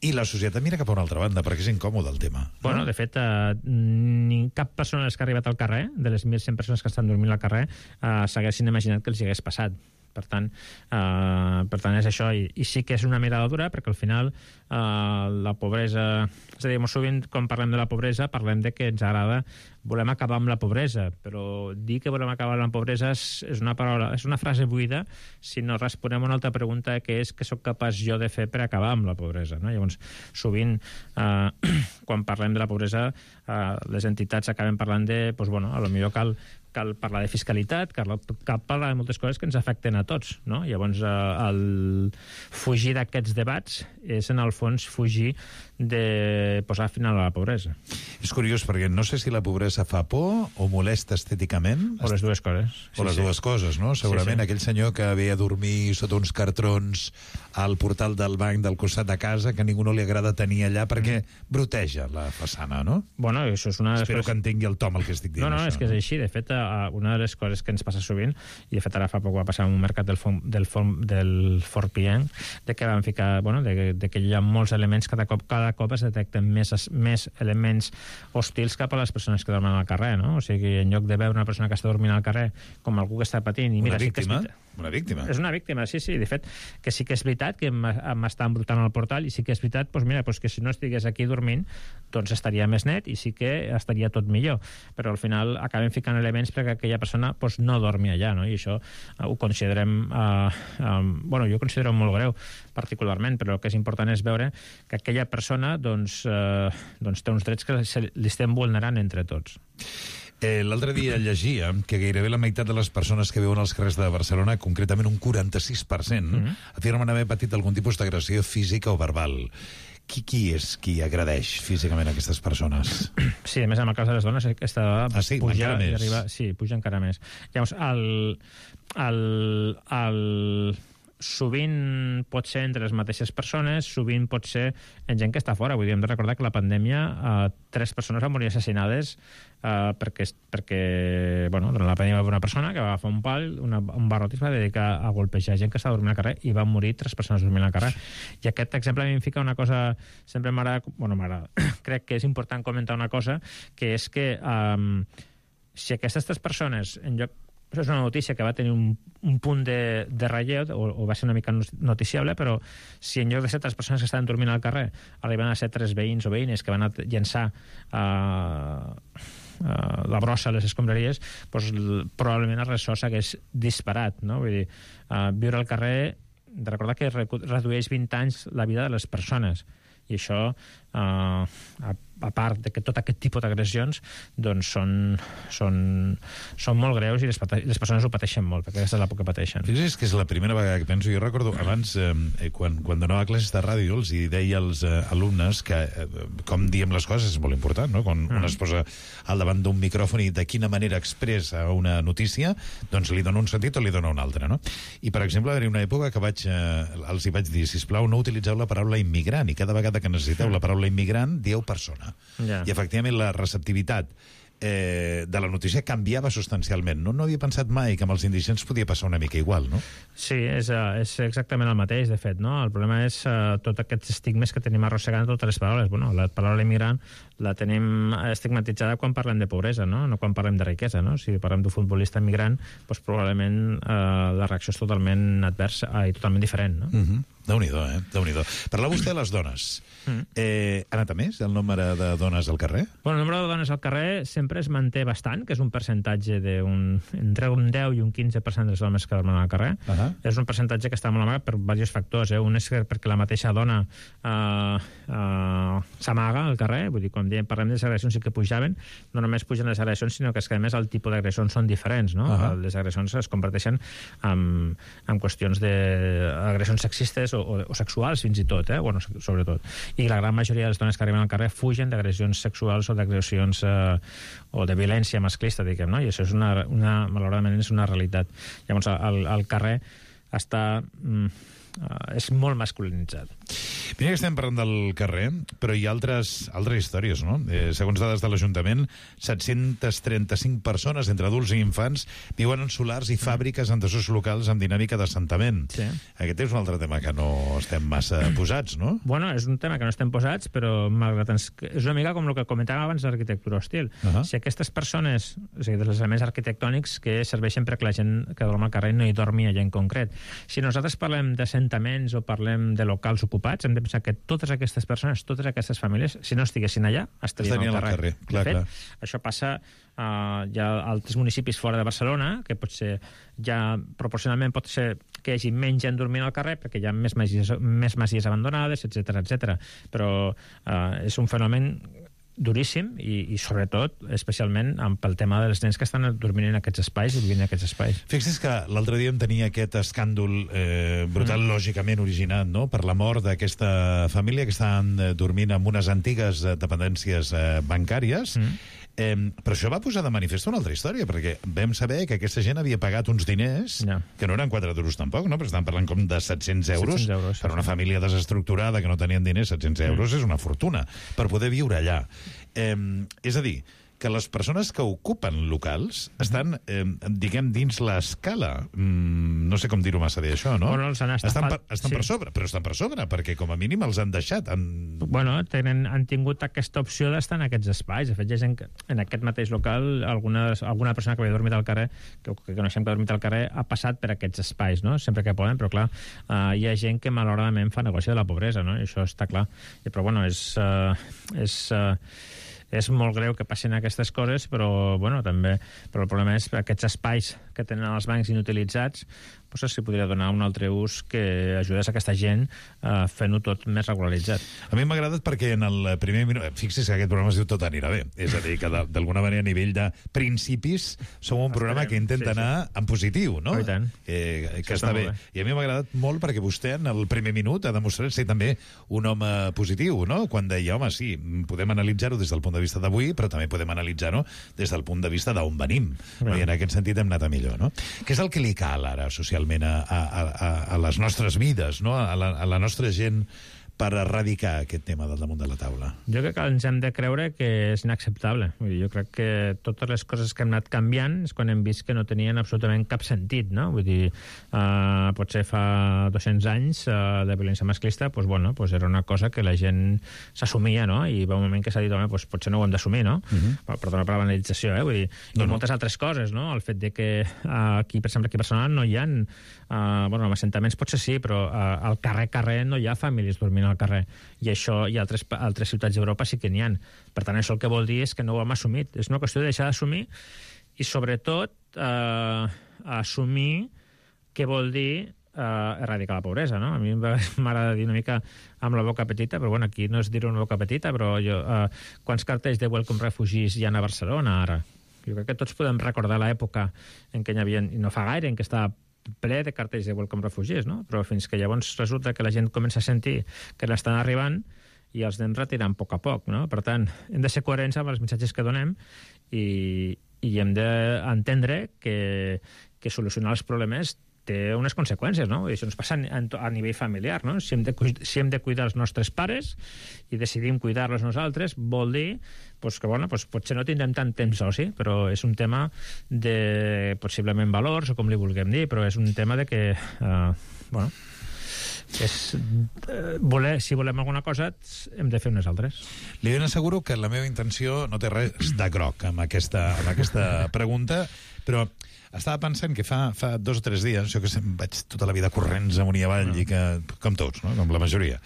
L: I la societat mira cap a una altra banda, perquè és incòmode el tema.
H: Bueno, de fet, cap persona que ha arribat al carrer, de les 1.100 persones que estan dormint al carrer, s'haguessin imaginat que els hi hagués passat. Per tant, és això. I sí que és una mirada dura, perquè al final la pobresa... És a dir, molt sovint, quan parlem de la pobresa, parlem de que ens agrada, volem acabar amb la pobresa, però dir que volem acabar amb la pobresa és una frase buida si no responem a una altra pregunta, que és què sóc capaç jo de fer per acabar amb la pobresa, no? Llavors, sovint, quan parlem de la pobresa, les entitats acaben parlant de, doncs, bueno, potser cal parlar de fiscalitat, cal parlar de moltes coses que ens afecten a tots, no? Llavors, el fugir d'aquests debats és, en el fons, fugir de posar final a la pobresa.
L: És curiós, perquè no sé si la pobresa fa por o molesta estèticament.
H: O les dues coses.
L: Dues coses, no? Segurament aquell senyor que ve a dormir sota uns cartrons al portal del banc del costat de casa, que a ningú no li agrada tenir allà perquè broteja la façana, no?
H: Bueno, això és una...
L: Espero que entengui el Tom el que estic dient.
H: No, és que és així. De fet, una de les coses que ens passa sovint, i de fet ara fa poc va passar en un mercat del Fort Pienc, de que van ficar, de que hi ha molts elements, cada cop es detecten més elements hostils cap a les persones que dormen al carrer, no? O sigui, en lloc de veure una persona que està dormint al carrer com algú que està patint...
L: Una víctima? Una víctima.
H: És una víctima, sí. De fet, que sí que és veritat que m'està embrutant al portal, i sí que és veritat, que si no estigués aquí dormint, doncs estaria més net i sí que estaria tot millor. Però al final acabem ficant elements perquè aquella persona no dormi allà, no? I això ho considerem... jo considero molt greu, particularment, però el que és important és veure que aquella persona té uns drets que li estem vulnerant entre tots.
L: L'altre dia llegia que gairebé la meitat de les persones que viuen als carrers de Barcelona, concretament un 46%, afirmen haver patit algun tipus d'agressió física o verbal. Qui és qui agredeix físicament aquestes persones?
H: Sí, a més, en el cas de les dones, aquesta dada puja
L: encara més.
H: I arriba... Sí, puja encara més. Llavors, sovint pot ser entre les mateixes persones, sovint pot ser en gent que està fora. Vull dir, hem de recordar que la pandèmia 3 persones van morir assassinades perquè durant la pandèmia va haver una persona que va agafar un pal, un barrot, i es va dedicar a golpejar gent que estava dormint al carrer, i van morir 3 persones dormint al carrer. I aquest exemple a mi em fica una cosa, sempre m'agrada, crec que és important comentar una cosa, que és que si aquestes 3 persones, en lloc... Això és una notícia que va tenir un punt de relleu, o va ser una mica noticiable, però si en lloc de ser 3 persones que estaven dormint al carrer arriben a ser 3 veïns o veïnes que van a llançar la brossa a les escombraries, doncs probablement el ressò s'hagués disparat, no? Vull dir, viure al carrer, de recordar que redueix 20 anys la vida de les persones, i això, a part de que tot aquest tipus d'agressions doncs són molt greus, i les persones ho pateixen molt, perquè aquesta és l'època que pateixen.
L: Fixa't que és la primera vegada que penso, jo recordo abans, quan donava classes de ràdio, els deia als alumnes que com diem les coses és molt important, no? Quan un es posa al davant d'un micròfon i de quina manera expressa una notícia, doncs li dona un sentit o li dona un altre, no? I, per exemple, va haver una època que els hi vaig dir, sisplau, no utilitzeu la paraula immigrant, i cada vegada que necessiteu la paraula immigrant, dieu persona. I efectivament la receptivitat de la notícia canviava substancialment. No havia pensat mai que amb els indigents podia passar una mica igual, no?
H: Sí, és exactament el mateix, de fet, no? El problema és tots aquests estigmes que tenim arrossegant totes les paraules. Bueno, la paraula immigrant la tenim estigmatitzada quan parlem de pobresa, no quan parlem de riquesa, no? Si parlem d'un futbolista immigrant, doncs probablement la reacció és totalment adversa i totalment diferent, no?
L: Déu-n'hi-do, Déu-n'hi-do. Parla vostè de les dones. Ha anat a més el nombre de dones al carrer?
H: Bueno, el nombre de dones al carrer sempre es manté bastant, que és un percentatge entre un 10 i un 15% dels homes que dormen al carrer. És un percentatge que està molt amagat per diversos factors. Un és perquè la mateixa dona s'amaga al carrer, vull dir, quan parlem de les agressions sí que pujaven, no només pugen les agressions, sinó que és que a més el tipus d'agressions són diferents, no? Les agressions es converteixen en qüestions d'agressions sexistes o sexuals fins i tot, bueno, sobretot. I la gran majoria de les dones que arriben al carrer fugen d'agressions sexuals o d'agressions o de violència masclista, diguem, no? I això és malauradament és una realitat. Llavors, el carrer és molt masculinitzat.
L: Mira que estem parlant del carrer, però hi ha altres històries, no? Segons dades de l'Ajuntament, 735 persones, entre adults i infants, viuen en solars i fàbriques en desús locals amb dinàmica d'assentament. Sí. Aquest és un altre tema que no estem massa posats, no?
H: Bueno, és un tema que no estem posats, però malgrat és una mica com el que comentàvem abans l'arquitectura hostil. Si aquestes persones, o sigui, dels elements arquitectònics que serveixen perquè la gent que dorm al carrer no hi dormi allà en concret. Si nosaltres parlem d'assentaments o parlem de locals ocupats, hem de pensar que totes aquestes persones, totes aquestes famílies, si no estiguessin allà, estarien al carrer.
L: Clar,
H: de fet, això passa hi ha altres municipis fora de Barcelona, que potser ja proporcionalment pot ser que hi hagi menys gent dormint al carrer perquè hi ha més masies abandonades, etc. Però és un fenomen duríssim i sobretot, especialment pel tema dels nens que estan dormint en aquests espais i vivint en aquests espais.
L: Fixa't que l'altre dia em tenia aquest escàndol brutal, lògicament originat, no?, per la mort d'aquesta família que estaven dormint en unes antigues dependències bancàries. Però això va posar de manifest una altra història, perquè vam saber que aquesta gent havia pagat uns diners, que no eren 4 duros tampoc, no? Però estan parlant com de 700 euros. Per una família desestructurada que no tenien diners, 700 euros és una fortuna, per poder viure allà. És a dir, que les persones que ocupen locals estan, diguem, dins l'escala. No sé com dir-ho massa bé, això, no?
H: Bueno,
L: estan per sobre, però estan per sobre, perquè com a mínim els han deixat.
H: Bueno, han tingut aquesta opció d'estar en aquests espais. De fet, hi ha gent que en aquest mateix local, alguna persona que havia dormit al carrer, que coneixem que ha dormit al carrer, ha passat per aquests espais, no? Sempre que poden, però clar, hi ha gent que malauradament fa negoci de la pobresa, no? I això està clar. Però bueno, és molt greu que passin aquestes coses, però el problema és que aquests espais que tenen els bancs inutilitzats s'hi podria donar un altre ús que ajudés a aquesta gent fent-ho tot més regularitzat.
L: A mi m'ha agradat perquè en el primer minut... Fixi's que aquest programa es diu Tot anirà bé. És a dir, que d'alguna manera a nivell de principis som un programa que intenta anar en positiu, no?
H: I tant.
L: Que està bé. I a mi m'ha agradat molt perquè vostè en el primer minut ha demostrat ser també un home positiu, no? Quan deia, home, sí, podem analitzar-ho des del punt de vista d'avui, però també podem analitzar-ho des del punt de vista d'on venim. I en aquest sentit hem anat a millor, no? Què és el que li cal ara socialment a les nostres vides, no? A la nostra gent, per erradicar aquest tema del damunt de la taula?
H: Jo crec que ens hem de creure que és inacceptable. Jo crec que totes les coses que hem anat canviant és quan hem vist que no tenien absolutament cap sentit, no? Vull dir, potser fa 200 anys de violència masclista, era una cosa que la gent s'assumia, no? I va un moment que s'ha dit, home, potser no ho hem d'assumir, no? Perdona per la banalització, vull dir, i moltes altres coses, no? El fet de que aquí, per exemple, aquí a Barcelona no hi ha en assentaments potser sí, però al carrer no hi ha famílies dormint al carrer, i això i altres ciutats d'Europa sí que n'hi ha. Per tant, això el que vol dir és que no ho hem assumit. És una qüestió de deixar d'assumir i, sobretot, assumir què vol dir erradicar la pobresa, no? A mi m'agrada dir una mica amb la boca petita, però aquí no és dir una boca petita, però quants cartells de Welcome Refugees hi ha a Barcelona ara? Jo crec que tots podem recordar l'època en què hi havia, i no fa gaire, en què estava ple de cartells de Welcome Refugees, no? Però fins que llavors resulta que la gent comença a sentir que n'estan arribant i els anem retirant a poc, no? Per tant, hem de ser coherents amb els missatges que donem i hem d'entendre que solucionar els problemes té unes conseqüències, no? I això ens passa a nivell familiar, no? Si hem de cuidar els nostres pares i decidim cuidar-los nosaltres, vol dir pues, que bueno, pues, potser no tindrem tant temps d'oci, però és un tema de possiblement valors, o com li vulguem dir, però és un tema de que bueno, si volem alguna cosa hem de fer unes altres.
L: Li ben asseguro que la meva intenció no té res de groc amb aquesta pregunta, però estava pensant que fa 2 o 3 dies, jo que vaig tota la vida corrents amunt i avall, i que, com tots, no? Com la majoria.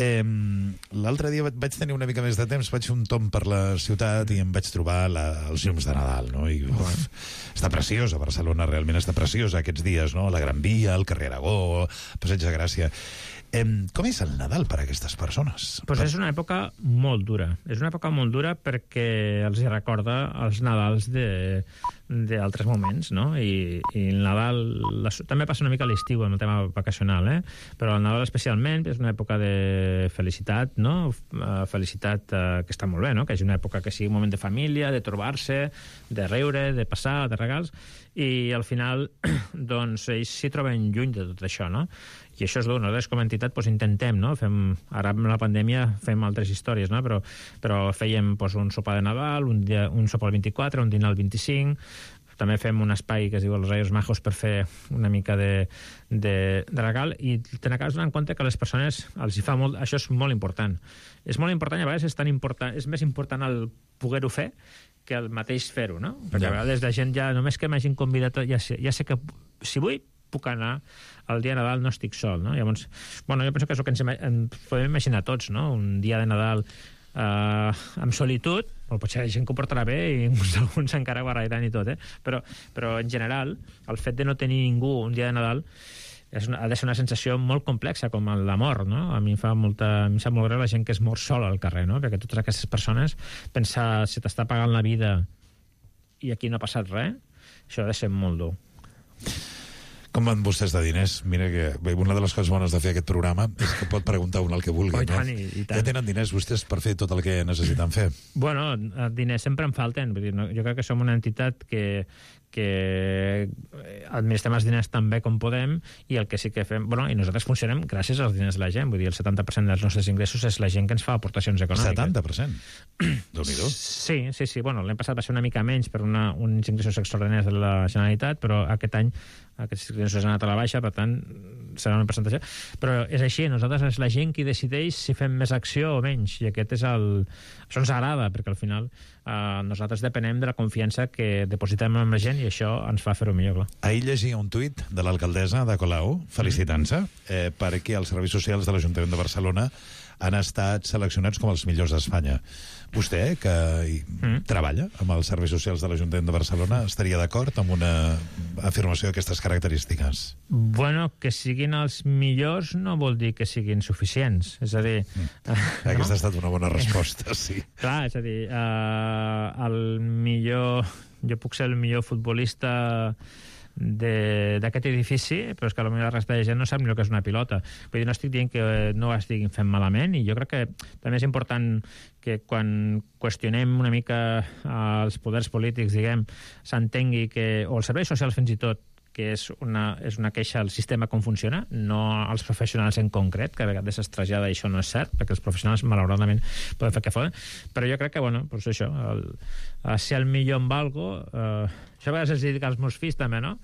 L: L'altre dia vaig tenir una mica més de temps, vaig fer un tomb per la ciutat i em vaig trobar els llums de Nadal, no? I està preciosa, Barcelona realment està preciosa aquests dies, no? La Gran Via, el carrer Aragó, Passeig de Gràcia. Com és el Nadal per a aquestes persones?
H: Pues és una època molt dura. És una època molt dura perquè els recorda els Nadals d'altres moments, no? I el Nadal també passa una mica a l'estiu en el tema vacacional, però el Nadal especialment és una època de felicitat, no? Felicitat que està molt bé, no? Que és una època que sigui un moment de família, de trobar-se, de riure, de passar, de regals, i al final doncs ells s'hi troben lluny de tot això, no? I això és dur. Nosaltres com a entitat doncs, intentem, no? Ara amb la pandèmia fem altres històries, no? Però fèiem doncs, un sopar de Nadal, un sopar el 24, un dinar el 25, també fem un espai que es diu els Reyes Majos per fer una mica de regal, i te n'acabes donant compte que a les persones els hi fa molt... Això és molt important. És molt important i a vegades és més important el poder-ho fer que el mateix fer-ho, no? Perquè a vegades la gent ja, només que m'hagin convidat, ja sé que si vull puc anar el dia de Nadal, no estic sol, no? Llavors, bueno, jo penso que és el que ens podem imaginar tots, no? Un dia de Nadal amb solitud, potser la gent que ho portarà bé i alguns encara baralliran i tot, però en general el fet de no tenir ningú un dia de Nadal ha de ser una sensació molt complexa, com la mort, no? A mi em sap molt greu la gent que es mor sola al carrer, no? Perquè totes aquestes persones, pensar si t'està pagant la vida i aquí no ha passat res, això ha de ser molt dur.
L: Com van vostès de diners? Mira que una de les coses bones de fer aquest programa és que pot preguntar un el que vulgui.
H: I tant, i tant.
L: Ja tenen diners vostès per fer tot el que necessiten fer?
H: Bueno, diners sempre en falten. Vull dir, jo crec que som una entitat que administrem els diners tan bé com podem, i el que sí que fem... Bueno, i nosaltres funcionem gràcies als diners de la gent. Vull dir, el 70% dels nostres ingressos és la gent que ens fa aportacions econòmiques.
L: 70%? Déu-n'hi-do.
H: Sí. Bueno, l'any passat va ser una mica menys per uns ingressos extraordinaris de la Generalitat, però aquest any aquests ingressos han anat a la baixa, per tant serà una presentació, però és així, nosaltres és la gent qui decideix si fem més acció o menys, i aquest és això ens agrada, perquè al final nosaltres depenem de la confiança que depositem en la gent, i això ens fa fer-ho millor, clar.
L: Ahir llegia un tuit de l'alcaldessa de Colau felicitant-se perquè els serveis socials de l'Ajuntament de Barcelona han estat seleccionats com els millors d'Espanya. Vostè, que treballa amb els serveis socials de l'Ajuntament de Barcelona, estaria d'acord amb una afirmació d'aquestes característiques?
H: Bueno, que siguin els millors no vol dir que siguin suficients. És a dir...
L: Aquesta ha estat una bona resposta, sí.
H: Clar, és a dir, jo puc ser el millor futbolista d'aquest edifici, però és que potser la resta de gent no sap ni el que és una pilota. Vull dir, no estic dient que no ho estiguin fent malament, i jo crec que també és important que quan qüestionem una mica els poders polítics, diguem, s'entengui que, o els serveis socials fins i tot, que és una queixa al sistema com funciona, no als professionals en concret, que a vegades es trasllada i això no és cert, perquè els professionals malauradament poden fer que foden, però jo crec que, bueno, doncs això, ser el millor en algo, això a vegades es dic als meus fills també, no?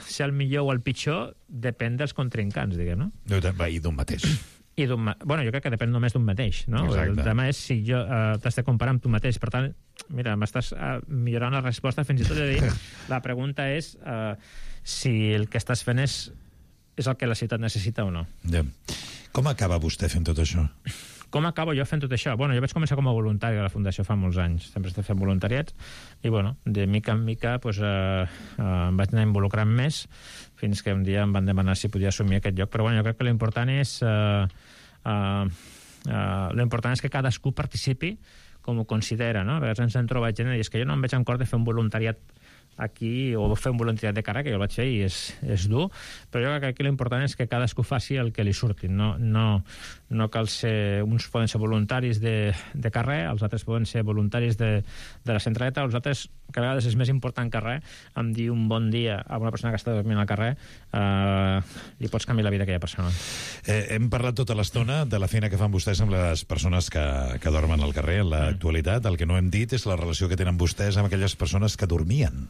H: Ser el millor o el pitjor depèn dels contrincants, diguem, no?
L: I d'un mateix.
H: Bueno, jo crec que depèn només d'un mateix, no?
L: Exacte.
H: El tema és si jo t'has de comparar amb tu mateix, per tant, mira, m'estàs millorant la resposta, fins i tot de dir, la pregunta és si el que estàs fent és el que la ciutat necessita o no.
L: Ja. Com acaba vostè fent tot això?
H: Com acabo jo fent tot això? Bueno, jo vaig començar com a voluntari a la Fundació fa molts anys. Sempre estic fent voluntariats i, bueno, de mica en mica pues, em vaig anar involucrant més fins que un dia em van demanar si podia assumir aquest lloc. Però, bueno, jo crec que l'important és que cadascú participi com ho considera, no? A vegades ens hem trobat gent i és que jo no em veig en cor de fer un voluntariat aquí, o fer un voluntariat de carrer, que jo el vaig fer i és dur, però jo crec que aquí l'important és que cadascú faci el que li surti. No cal ser... Uns poden ser voluntaris de carrer, els altres poden ser voluntaris de la centraleta, els altres, que a vegades és més important que res, em dir un bon dia a una persona que està dormint al carrer, li pots canviar la vida a aquella persona.
L: Hem parlat tota l'estona de la feina que fan vostès amb les persones que dormen al carrer en l'actualitat. El que no hem dit és la relació que tenen vostès amb aquelles persones que dormien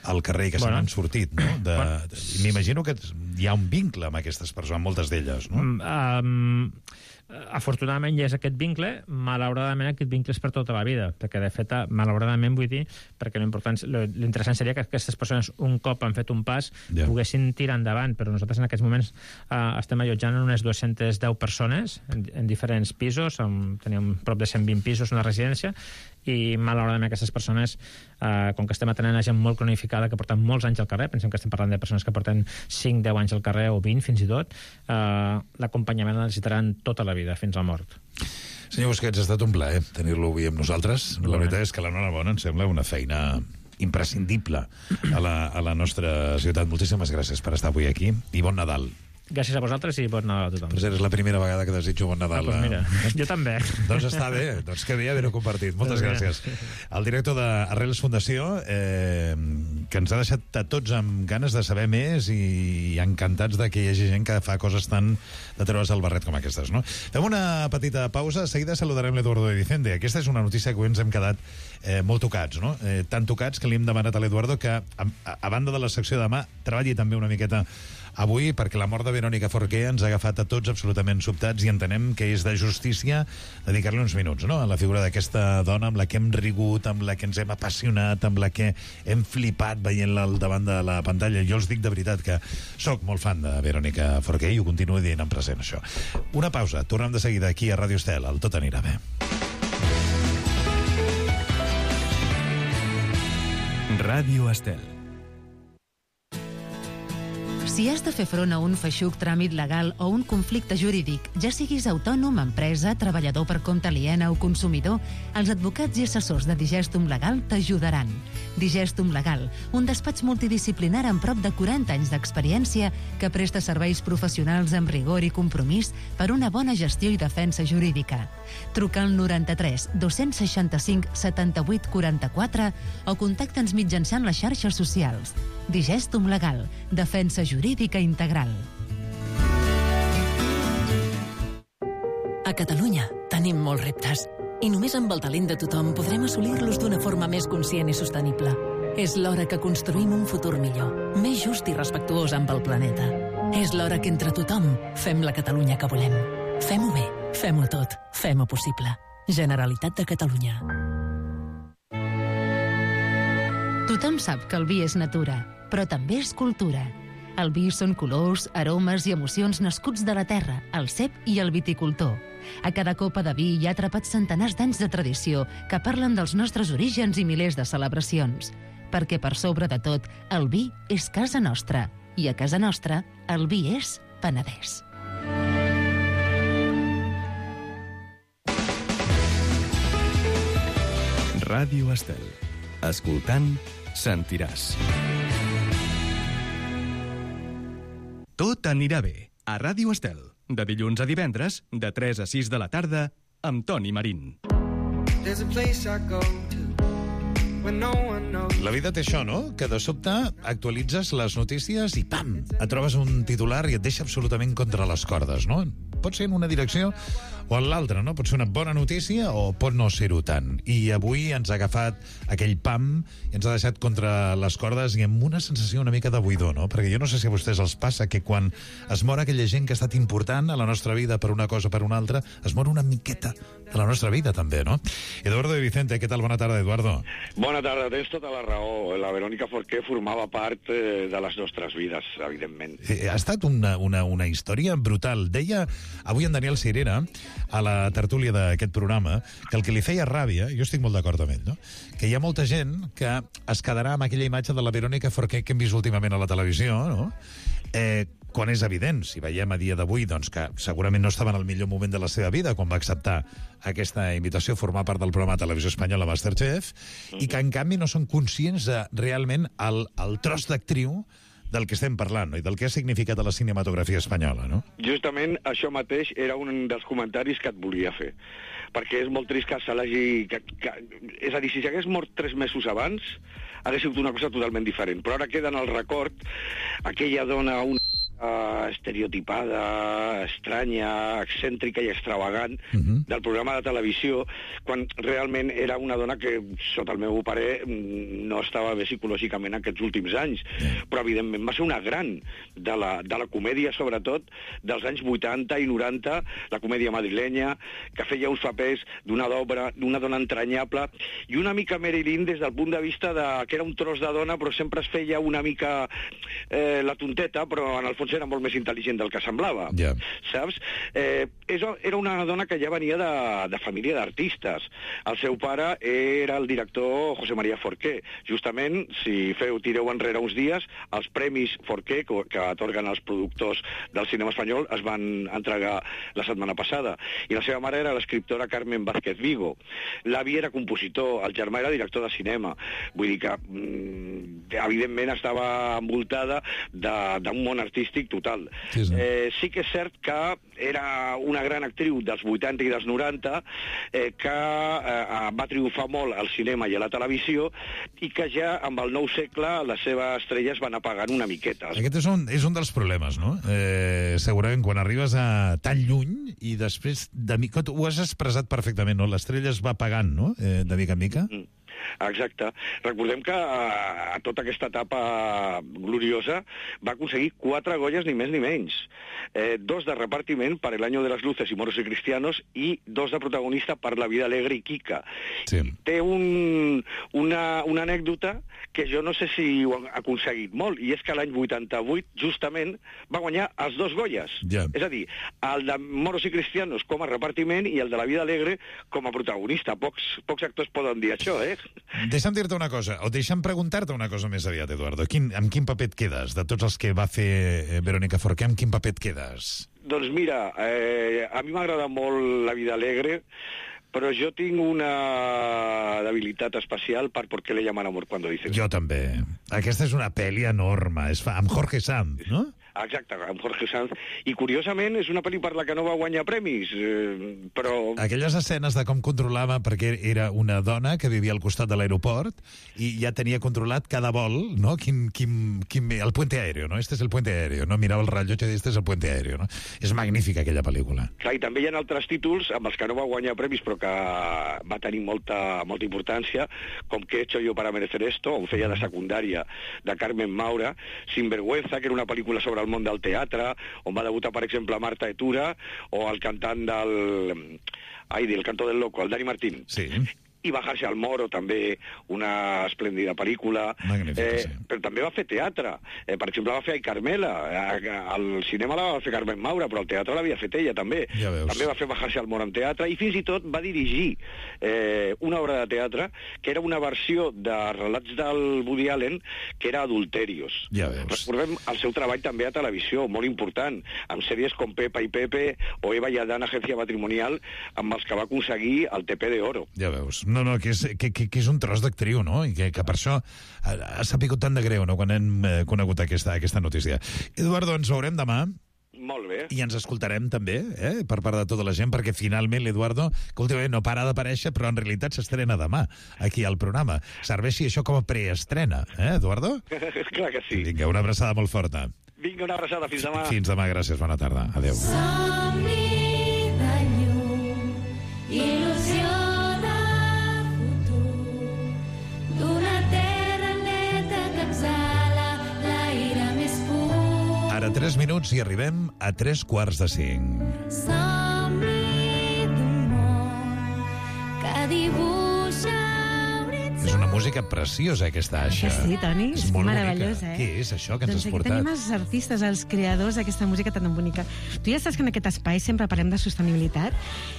L: al carrer i que se n'han sortit, no? M'imagino que hi ha un vincle amb aquestes persones, amb moltes d'elles, no?
H: Afortunadament hi és aquest vincle, malauradament aquest vincle és per tota la vida, perquè de fet, malauradament vull dir, perquè l'interessant seria que aquestes persones un cop han fet un pas poguessin tirar endavant, però nosaltres en aquests moments estem allotjant unes 210 persones en diferents pisos, teníem prop de 120 pisos en la residència, i malauradament aquestes persones, com que estem atenent a gent molt cronificada que porten molts anys al carrer, pensem que estem parlant de persones que porten 5-10 anys al carrer o 20 fins i tot, l'acompanyament el necessitaran tota la vida, fins a la mort.
L: Senyor Busquets, ha estat un plaer tenir-lo avui amb nosaltres. La veritat és que l'Enhorabona em sembla una feina imprescindible a la nostra ciutat. Moltíssimes gràcies per estar avui aquí i bon Nadal.
H: Gràcies a vosaltres i bon Nadal a tothom.
L: Però és la primera vegada que desitjo bon Nadal.
H: Doncs mira, jo també.
L: Doncs està bé, doncs que bé haver-ho compartit. Moltes gràcies. El director d'Arrels Fundació, que ens ha deixat a tots amb ganes de saber més i encantats de que hi hagi gent que fa coses tan de treure's el barret com aquestes, no? Fem una petita pausa, de seguida saludarem l'Eduardo de Vicente. Aquesta és una notícia que avui ens hem quedat molt tocats, no? Tan tocats que li hem demanat a l'Eduardo que, a banda de la secció de demà, treballi també una miqueta avui, perquè la mort de Verónica Forqué ens ha agafat a tots absolutament sobtats i entenem que és de justícia dedicar-li uns minuts, no?, a la figura d'aquesta dona amb la que hem rigut, amb la que ens hem apassionat, amb la que hem flipat veient-la al davant de la pantalla. Jo els dic de veritat que sóc molt fan de Verónica Forqué i ho continuo dient en present, això. Una pausa, tornem de seguida aquí a Ràdio Estel, el Tot anirà bé.
A: Ràdio Estel.
J: Si has de fer front a un feixuc tràmit legal o un conflicte jurídic, ja siguis autònom, empresa, treballador per compte aliena o consumidor, els advocats i assessors de Digestum Legal t'ajudaran. Digestum Legal, un despatx multidisciplinar amb prop de 40 anys d'experiència que presta serveis professionals amb rigor i compromís per una bona gestió i defensa jurídica. Truca al 93 265 78 44 o contacta'ns mitjançant les xarxes socials. Digestum Legal, defensa jurídica integral.
M: A Catalunya tenim molts reptes i només amb el talent de tothom podrem assolir-los d'una forma més conscient i sostenible. És l'hora que construïm un futur millor, més just i respectuós amb el planeta. És l'hora que entre tothom fem la Catalunya que volem. Fem-ho bé, fem-ho tot, fem-ho possible. Generalitat de Catalunya.
J: Tothom sap que el vi és natura, però també és cultura. El vi són colors, aromes i emocions nascuts de la terra, el cep i el viticultor. A cada copa de vi hi ha atrapats centenars d'anys de tradició que parlen dels nostres orígens i milers de celebracions. Perquè per sobre de tot, el vi és casa nostra. I a casa nostra, el vi és Penedès.
A: Ràdio Estel. Escoltant, sentiràs. Tot anirà bé. A Ràdio Estel. De dilluns a divendres, de 3 a 6 de la tarda, amb Toni Marín.
L: La vida té això, no?, que de sobte actualitzes les notícies i pam, et trobes un titular i et deixa absolutament contra les cordes, no? Pot ser en una direcció o en l'altra, no? Pot ser una bona notícia o pot no ser-ho tant. I avui ens ha agafat aquell pam i ens ha deixat contra les cordes i amb una sensació una mica de buidor, no? Perquè jo no sé si a vostès els passa que quan es mor aquella gent que ha estat important a la nostra vida per una cosa o per una altra, es mor una miqueta de la nostra vida també, no? Eduardo de Vicente, què tal? Bona tarda, Eduardo.
G: Bona tarda, tens tota la raó. La Verónica Forqué formava part de les nostres vides, evidentment.
L: Ha estat una història brutal. Deia avui en Daniel Cirera, a la tertúlia d'aquest programa, que el que li feia ràbia, jo estic molt d'acord amb ell, no?, que hi ha molta gent que es quedarà amb aquella imatge de la Verónica Forqué que hem vist últimament a la televisió, no?, quan és evident, si veiem a dia d'avui, doncs que segurament no estava en el millor moment de la seva vida quan va acceptar aquesta invitació a formar part del programa de televisió espanyola Masterchef, i que en canvi no són conscients de realment el tros d'actriu del que estem parlant, no? I del que ha significat a la cinematografia espanyola, no?
G: Justament això mateix era un dels comentaris que et volia fer, perquè és molt trist que se l'hagi... És a dir, si s'hagués mort 3 mesos abans, hagués sigut una cosa totalment diferent, però ara queda en el record aquella dona, estereotipada, estranya, excèntrica i extravagant del programa de televisió, quan realment era una dona que, sota el meu parer, no estava bé psicològicament aquests últims anys, però evidentment va ser una gran de la comèdia, sobretot dels anys 80 i 90, la comèdia madrilenya, que feia uns papers d'una dona entranyable, i una mica Marilyn des del punt de vista que era un tros de dona, però sempre es feia una mica la tonteta, però en el fons era molt més intel·ligent del que semblava, saps? Era una dona que ja venia de família d'artistes. El seu pare era el director José María Forqué. Justament, si tireu enrere uns dies, els premis Forqué, que atorguen els productors del cinema espanyol, es van entregar la setmana passada. I la seva mare era l'escriptora Carmen Vázquez Vigo. L'avi era compositor, el germà era director de cinema. Vull dir que, evidentment, estava envoltada d'un món artístic total. Sí que és cert que era una gran actriu dels 80 i dels 90, que va triomfar molt al cinema i a la televisió, i que ja amb el nou segle les seves estrelles van apagant una miqueta.
L: Aquest és un dels problemes, no? Segurament quan arribes a tan lluny i després, ho has expressat perfectament, no? L'estrella es va apagant, no? De mica en mica.
G: Exacte. Recordem que a tota aquesta etapa gloriosa va aconseguir 4 Goyas, ni més ni menys. 2 de repartiment per El año de las luces y moros y cristianos, i 2 de protagonista per La vida alegre i Kika. Sí. Té una anècdota que jo no sé si ho ha aconseguit molt, i és que l'any 88, justament, va guanyar els 2 Goyas. És a dir, el de moros i cristianos com a repartiment i el de La vida alegre com a protagonista. Pocs actors poden dir això,
L: Deixa'm dir-te una cosa, o deixa'm preguntar-te una cosa més aviat, Eduardo. Amb quin paper et quedes? De tots els que va fer Verónica Forqué, amb quin paper et quedes?
G: Doncs mira, a mi m'agrada molt La vida alegre, però jo tinc una debilitat especial per ¿Por qué le llaman amor cuando dicen?
L: Jo també. Aquesta és una pel·li enorme, amb Jorge Sanz, no?
G: Exacte, amb Jorge Sanz. I, curiosament, és una pel·li per la que no va guanyar premis, però...
L: Aquelles escenes de com controlava, perquè era una dona que vivia al costat de l'aeroport i ja tenia controlat cada vol, no? El puente aéreo, no? Este es el puente aéreo, no? Mirava el rellotge i este es el puente aéreo, no? És magnífica aquella pel·lícula.
G: Clar, i també hi ha altres títols amb els que no va guanyar premis, però que va tenir molta importància, com ¿Qué he hecho yo para merecer esto?, on feia de secundària de Carmen Maura, Sinvergüenza, que era una pel·lícula sobre el món del teatre, on va debutar, per exemple, Marta Etura, o el cantant del Canto del Loco, el Dani Martín. Sí. I Bajarse al Moro, també, una esplèndida pel·lícula. Magnífica, sí. Però també va fer teatre. Per exemple, va fer Ai Carmela. Al cinema la va fer Carmen Maura, però al teatre l'havia fet ella, també. Ja veus. També va fer Bajarse al Moro en teatre, i fins i tot va dirigir una obra de teatre que era una versió de relats del Woody Allen, que era Adulterios. Ja veus. Recordem el seu treball també a televisió, molt important, amb sèries com Pepa i Pepe o Eva y Adán, Agencia Matrimonial, amb els que va aconseguir el TP de Oro.
L: Ja veus. No, que és un tros d'actriu, no? I que per això ha sapigut tant de greu, no?, quan hem conegut aquesta notícia. Eduardo, ens veurem demà.
G: Molt bé.
L: I ens escoltarem també, per part de tota la gent, perquè finalment l'Eduardo, que últimament no para d'aparèixer, però en realitat s'estrena demà, aquí al programa. Serveixi això com a preestrena, Eduardo?
G: Clar que sí.
L: Vinga, una abraçada molt forta.
G: Vinga, una abraçada, fins demà.
L: Fins demà, gràcies, bona tarda. Adéu.
N: Somni de llum, il·lusió de futur, d'una terra neta que exhala l'aire més pur.
L: Ara 3 minuts i arribem a 3:45.
N: Somni d'un món que dibuixa horitzons.
L: És una música preciosa, aquesta Aixa.
O: Que sí, Toni, és
L: molt
O: meravellós,
L: bonica. Què és això que ens has portat?
O: Doncs aquí tenim els artistes, els creadors d'aquesta música tan bonica. Tu ja saps que en aquest espai sempre parlem de sostenibilitat,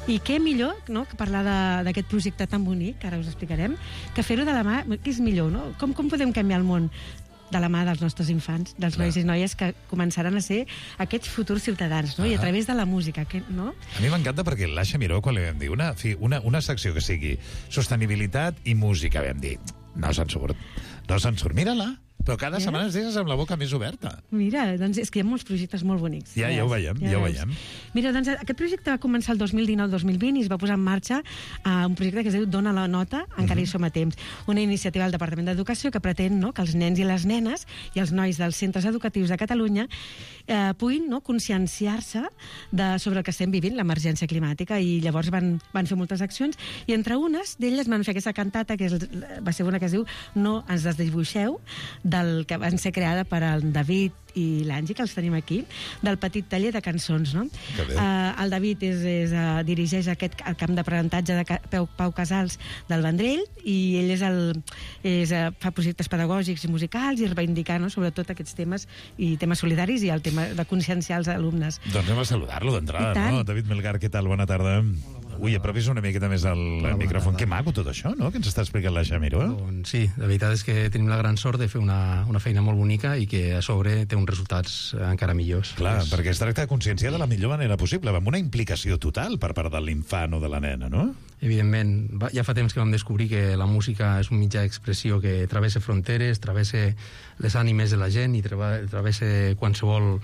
O: i què millor, no?, que parlar d'aquest projecte tan bonic, que ara us explicarem, que fer-ho de la mà, que és millor, no? Com podem canviar el món? de la mà dels nostres infants, dels nois i noies que començaran a ser aquests futurs ciutadans, no? I a través de la música, no?
L: A mi m'encanta perquè l'Aixa Miró, quan li vam dir una secció que sigui sostenibilitat i música, vam dir, no se'n surt. Mira-la. Però cada setmana es deixes amb la boca més oberta.
O: Mira, doncs és que hi ha molts projectes molt bonics.
L: Ja ho veiem, ja ho veiem.
O: Mira, doncs aquest projecte va començar el 2019-2020 i es va posar en marxa un projecte que es diu Dona la nota, encara hi som a temps. Una iniciativa del Departament d'Educació que pretén que els nens i les nenes i els nois dels centres educatius de Catalunya puguin conscienciar-se sobre el que estem vivint, l'emergència climàtica, i llavors van fer moltes accions, i entre unes d'elles van fer aquesta cantata, que va ser una que es diu No ens desdibuixeu, que van ser creada per el David i l'Angie, que els tenim aquí, del petit taller de cançons, no? El David dirigeix el camp d'aprenentatge de Pau Casals del Vendrell, i ell fa projectes pedagògics i musicals i reivindicar, sobretot aquests temes i temes solidaris i el tema de conscienciar els alumnes.
L: Doncs anem a saludar-lo d'entrada, no? David Melgar, què tal? Bona tarda. Ui, apropis una miqueta més al micròfon. Que maco tot això, no?, que ens està explicant l'Aixa Miró.
P: Sí, la veritat és que tenim la gran sort de fer una feina molt bonica i que a sobre té uns resultats encara millors.
L: Clar, perquè es tracta de conscienciar de la millor manera possible, amb una implicació total per part de l'infant o de la nena, no?
P: Evidentment, ja fa temps que vam descobrir que la música és un mitjà d'expressió que travessa fronteres, travessa les ànimes de la gent i travessa qualsevol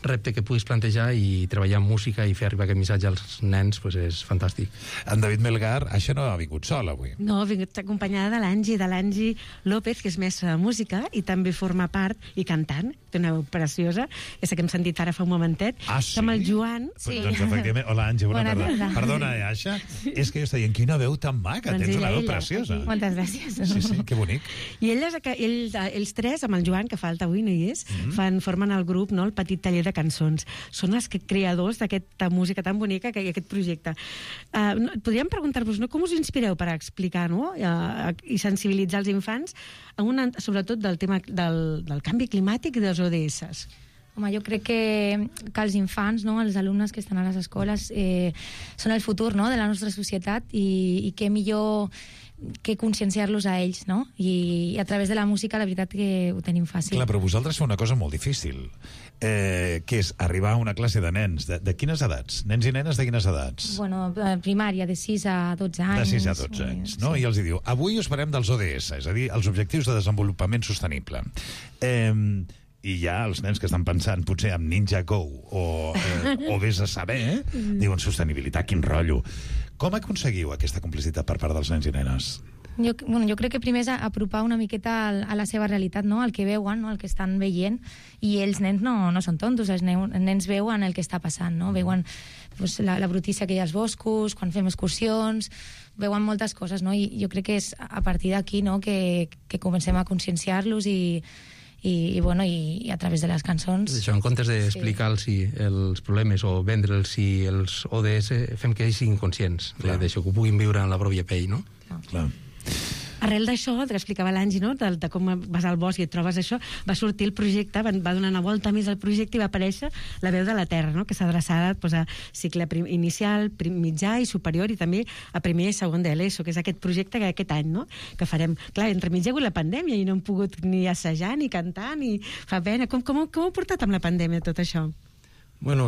P: repte que puguis plantejar, i treballar en música i fer arribar aquest missatge als nens és fantàstic.
L: En David Melgar, això no ha vingut sol avui.
O: No, ha vingut acompanyada de l'Angie López, que és mestra de música i també forma part i cantant, té una veu preciosa, aquesta que hem sentit ara fa un momentet.
L: Ah, sí?
O: Amb el Joan.
L: Sí. Doncs efectivament, hola Angie, bona tarda. Perdona, Aixa, és que jo estic dient, quina veu tan maca, tens una veu preciosa.
Q: Moltes gràcies.
L: Sí, que bonic.
O: I ells tres, amb el Joan, que falta avui, no hi és, formen el grup, el Petit Taller de Cançons. Són els creadors d'aquesta música tan bonica i aquest projecte. Podríem preguntar-vos, com us inspireu per explicar i sensibilitzar els infants, sobretot del tema del canvi climàtic i dels ODS?
Q: Home, jo crec que els infants, els alumnes que estan a les escoles, són el futur de la nostra societat, i què millor que conscienciar-los a ells, no? I a través de la música, la veritat que ho tenim fàcil.
L: Clar, però vosaltres feu una cosa molt difícil, que és arribar a una classe de nens. De quines edats? Nens i nenes de quines edats?
Q: Bueno, primària, de 6 a 12 anys.
L: De 6 a 12 anys, no? Sí. I els diu, avui us parlem dels ODS, és a dir, els Objectius de Desenvolupament Sostenible. I ja els nens que estan pensant potser en Ninja Go o vés a saber, diuen sostenibilitat, quin rotllo. Com aconseguiu aquesta complicitat per part dels nens i nenes?
Q: Jo crec que primer és apropar una miqueta a la seva realitat, el que veuen, el que estan veient, i els nens no són tontos, els nens veuen el que està passant, veuen la brutícia que hi ha als boscos, quan fem excursions, veuen moltes coses, i jo crec que és a partir d'aquí que comencem a conscienciar-los i a través de les cançons.
P: Això, en comptes d'explicar-los els problemes o vendre'ls els ODS, fem que ells siguin conscients d'això, que ho puguin viure en la pròpia pell, no?
L: Clar.
O: Arrel d'això, que explicava l'Angie, de com vas al bosc i et trobes això, va sortir el projecte, va donar una volta més al projecte i va aparèixer la veu de la Terra, que s'ha adreçat a cicle inicial, mitjà i superior, i també a primer i segon de l'ESO, que és aquest projecte que aquest any que farem. Clar, entremig hi ha hagut la pandèmia i no hem pogut ni assajar, ni cantar, ni fa pena. Com ho heu portat amb la pandèmia, tot això?
P: Bueno,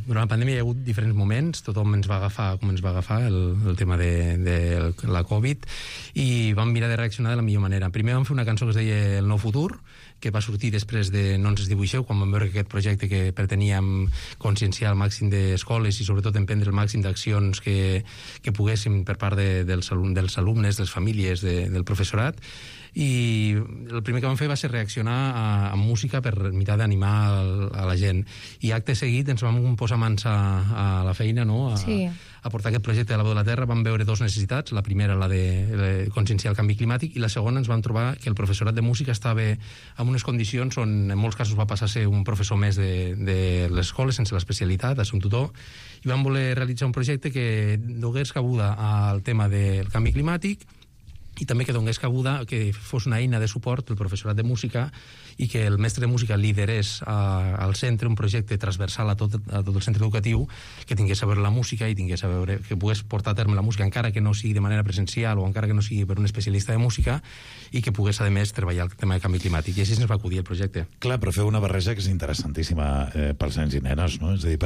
P: durant la pandèmia hi ha hagut diferents moments, tothom ens va agafar com ens va agafar el tema de la Covid, i vam mirar de reaccionar de la millor manera. Primer vam fer una cançó que es deia El nou futur, que va sortir després de No ens desdibuixeu, quan vam veure que aquest projecte que preteníem conscienciar el màxim d'escoles i sobretot emprendre el màxim d'accions que poguéssim per part dels alumnes, de les famílies, del professorat. I el primer que vam fer va ser reaccionar amb música per mirar d'animar a la gent, i acte seguit ens vam posar mans a la feina, a portar aquest projecte de la veu de la Terra. Vam veure dues necessitats, la primera la de conscienciar el canvi climàtic, i la segona ens vam trobar que el professorat de música estava en unes condicions on en molts casos va passar a ser un professor més de l'escola sense l'especialitat, a ser un tutor, i vam voler realitzar un projecte que donés cabuda al tema del canvi climàtic i també que donés cabuda, que fos una eina de suport el professorat de música i que el mestre de música liderés al centre un projecte transversal a tot el centre educatiu, que tingués a veure la música i tingués a veure, que pogués portar a terme la música encara que no sigui de manera presencial o encara que no sigui per un especialista de música, i que pogués, a més, treballar el tema de canvi climàtic. I així ens va acudir el projecte.
L: Clar, però feu una barreja que és interessantíssima pels nens i nenes, no? És a dir,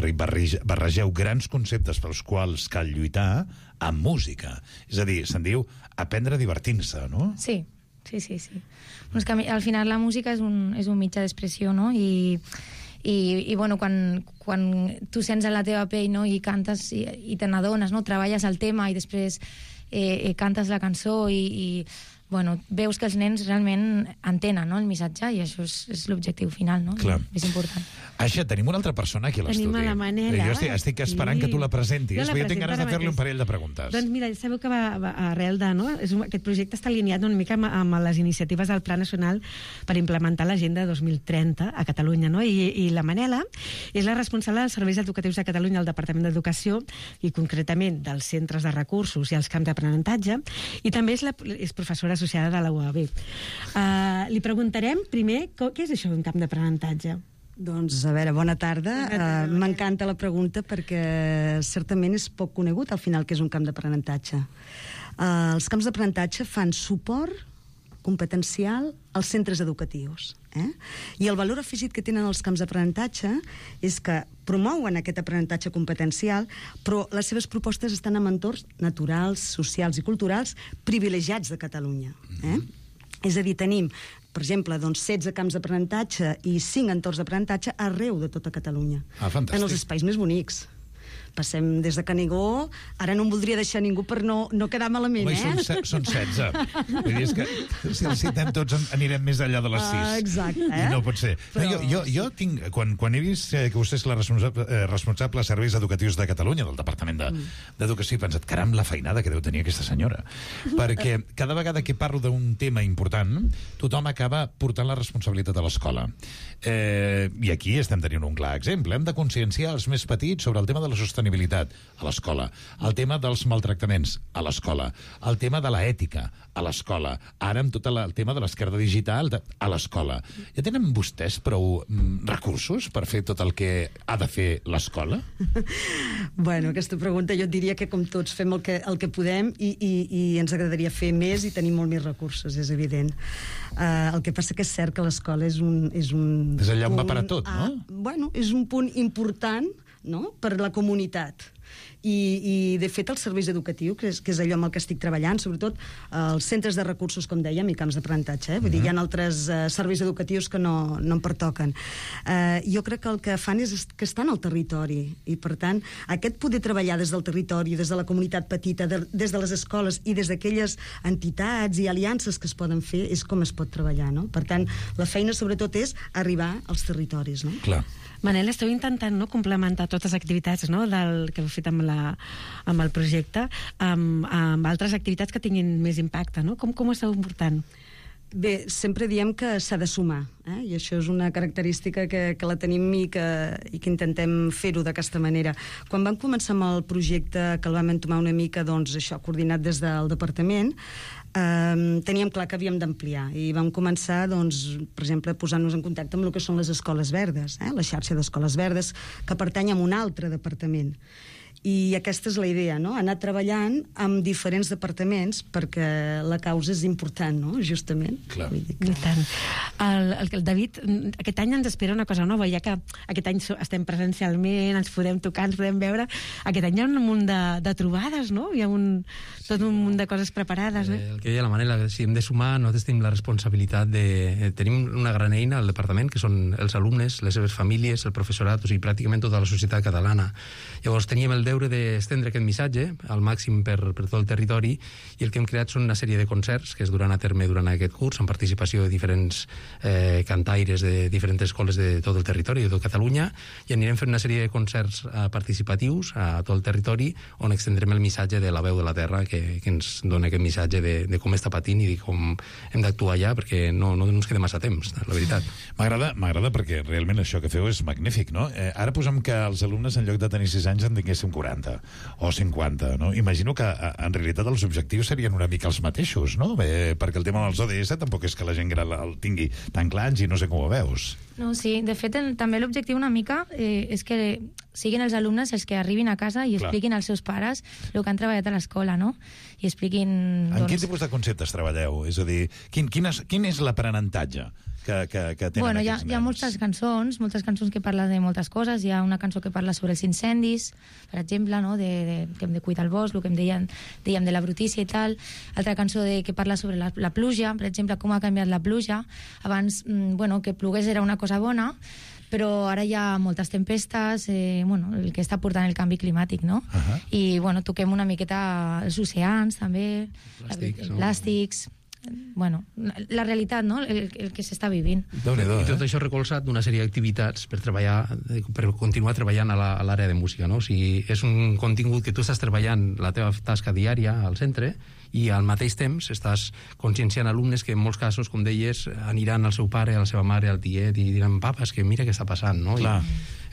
L: barregeu grans conceptes pels quals cal lluitar amb música. És a dir, se'n diu aprendre divertint-se, no?
Q: Sí. Bueno, és que al final la música és un mitjà d'expressió, no? I bueno, quan tu sents en la teva pell, no? I cantes i te n'adones, no? Treballes el tema i després cantes la cançó i bueno, veus que els nens realment entenen, no? El missatge, i això és l'objectiu final, no?
L: Clar.
Q: És important.
L: Aixa, tenim una altra persona aquí a l'estudi.
O: Tenim a la Manela.
L: Jo estic esperant que tu la presentis, però jo tinc ganes de fer-li un parell de preguntes.
O: Doncs mira, sabeu que va arrel de... No? Aquest projecte està alineat una mica amb les iniciatives del Pla Nacional per implementar l'Agenda 2030 a Catalunya, no? I la Manela és la responsable dels serveis educatius de Catalunya al Departament d'Educació i concretament dels centres de recursos i els camps d'aprenentatge, i també és professora associada de la UAB. Li preguntarem primer què és això d'un camp d'aprenentatge?
R: Doncs, a veure, bona tarda. M'encanta la pregunta perquè certament és poc conegut al final que és un camp d'aprenentatge. Els camps d'aprenentatge fan suport competencial als centres educatius. I el valor afegit que tenen els camps d'aprenentatge és que promouen aquest aprenentatge competencial, però les seves propostes estan en entorns naturals, socials i culturals privilegiats de Catalunya. És a dir, tenim, per exemple, 16 camps d'aprenentatge i 5 entorns d'aprenentatge arreu de tota Catalunya.
L: Fantàstic.
R: En els espais més bonics. Passem des de Canigó, ara no em voldria deixar ningú per no quedar malament,
L: Són 16. Vull dir, és que si els citem tots anirem més enllà de les 6.
R: Exacte.
L: I no pot ser. Però... Jo tinc, quan he vist que vostè és la responsable de serveis educatius de Catalunya, del Departament d'Educació, he pensat, caram, la feinada que deu tenir aquesta senyora. Perquè cada vegada que parlo d'un tema important, tothom acaba portant la responsabilitat a l'escola. I aquí estem tenint un clar exemple. Hem de conscienciar els més petits sobre el tema de la sostenibilitat a l'escola, el tema dels maltractaments a l'escola, el tema de l'ètica a l'escola, ara amb tot el tema de l'esquerda digital a l'escola. Ja tenen vostès prou recursos per fer tot el que ha de fer l'escola?
R: Bueno, aquesta pregunta jo et diria que com tots fem el que podem i ens agradaria fer més i tenir molt més recursos, és evident. El que passa que és cert que l'escola és un
L: és allà on va parar tot, no?
R: Bueno, és un punt important, no?, per la comunitat. I de fet els serveis educatius, que és allò amb el que estic treballant, sobretot els centres de recursos, com dèiem, i camps d'aprenentatge, vull dir, hi ha altres serveis educatius que no em pertoquen. Jo crec que el que fan és que estan al territori, i per tant aquest poder treballar des del territori, des de la comunitat petita, des de les escoles i des d'aquelles entitats i aliances que es poden fer, és com es pot treballar, no? Per tant, la feina sobretot és arribar als territoris, no?
L: Clar.
O: Manel, esteu intentant complementar totes les activitats que heu fet amb el projecte amb altres activitats que tinguin més impacte, no? Com ho esteu portant?
R: Bé, sempre diem que s'ha de sumar, i això és una característica que la tenim i que intentem fer-ho d'aquesta manera. Quan vam començar amb el projecte, que el vam entomar una mica, doncs, això, coordinat des del departament, teníem clar que havíem d'ampliar i vam començar, doncs, per exemple, posant-nos en contacte amb el que són les escoles verdes, la xarxa d'escoles verdes, que pertany a un altre departament. I aquesta és la idea, no? Anar treballant amb diferents departaments perquè la causa és important, no? Justament.
L: Clar.
O: I tant. El David, aquest any ens espera una cosa nova, ja que aquest any estem presencialment, ens podem tocar, ens podem veure. Aquest any hi ha un munt de trobades, no? Hi ha tot un munt de coses preparades.
P: El que deia la Manela, si hem de sumar, nosaltres tenim la responsabilitat de... Tenim una gran eina al departament, que són els alumnes, les seves famílies, el professorat, o sigui, pràcticament tota la societat catalana. Llavors teníem el deure d'estendre aquest missatge al màxim per tot el territori, i el que hem creat són una sèrie de concerts que es duran a terme durant aquest curs, amb participació de diferents cantaires de diferents escoles de tot el territori, de tot Catalunya, i anirem fent una sèrie de concerts participatius a tot el territori, on extendrem el missatge de la veu de la terra, que ens dona aquest missatge de com està patint i de com hem d'actuar allà, perquè no ens queda massa temps, la veritat.
L: M'agrada perquè realment això que feu és magnífic, no? Ara posem que els alumnes, en lloc de tenir 6 anys, en tinguéssim 140 o 50, no? Imagino que en realitat els objectius serien una mica els mateixos, no? Perquè el tema dels ODS tampoc és que la gent gran el tingui tan clar i no sé com ho veus.
Q: No, sí, de fet, també l'objectiu una mica és que siguin els alumnes els que arribin a casa i expliquin als seus pares el que han treballat a l'escola, no? I expliquin...
L: En quin tipus de conceptes treballeu? És a dir, quin és l'aprenentatge que tenen aquests nens?
Q: Hi ha moltes cançons que parlen de moltes coses. Hi ha una cançó que parla sobre els incendis, per exemple, no? que hem de cuidar el bosc, el que dèiem de la brutícia i tal. Altra cançó que parla sobre la pluja, per exemple, com ha canviat la pluja. Abans, que plogués era una cosa bona, però ara hi ha moltes tempestes, el que està portant el canvi climàtic, no? I, toquem una miqueta els oceans, també, plàstics... la realitat, no? El que s'està vivint.
P: I tot això recolzat d'una sèrie d'activitats per continuar treballant a l'àrea de música, no? O sigui, és un contingut que tu estàs treballant la teva tasca diària al centre i al mateix temps estàs conscienciant alumnes que en molts casos, com deies, aniran al seu pare, a la seva mare, al tiet i diran, papa, és que mira què està passant, no?
L: Clar.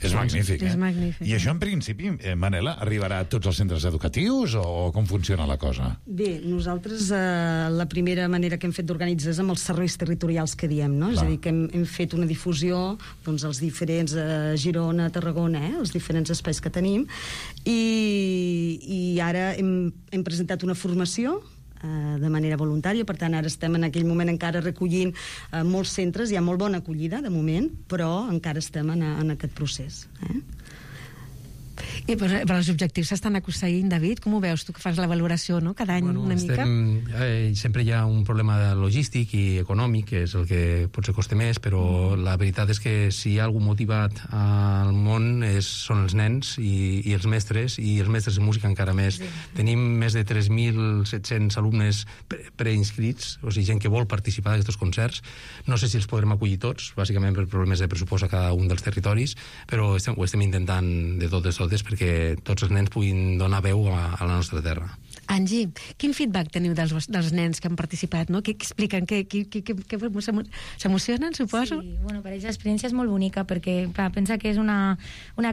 L: És magnífic,
O: És magnífic.
L: I això, en principi, Manela, arribarà a tots els centres educatius o com funciona la cosa?
R: Bé, nosaltres la primera manera que hem fet d'organitzar és amb els serveis territorials que diem, no? És a dir, que hem fet una difusió als diferents Girona, Tarragona, els diferents espais que tenim, i ara hem presentat una formació de manera voluntària, per tant ara estem en aquell moment encara recollint molts centres, hi ha molt bona acollida de moment, però encara estem en aquest procés.
O: I però els objectius s'estan aconseguint, David? Com ho veus tu que fas la valoració, no? Cada any una mica?
P: Sempre hi ha un problema logístic i econòmic, que és el que potser costa més, però la veritat és que si hi ha algú motivat al món són els nens i els mestres de música encara més. Sí. Tenim més de 3.700 alumnes preinscrits, o sigui, gent que vol participar d'aquests concerts. No sé si els podrem acollir tots, bàsicament per problemes de pressupost a cada un dels territoris, però ho estem intentant de totes perquè tots els nens puguin donar veu a la nostra terra.
O: Angie, quin feedback teniu dels nens que han participat? No? Què expliquen? S'emocionen, suposo?
Q: Sí, per ells l'experiència és molt bonica perquè, clar, pensa que és una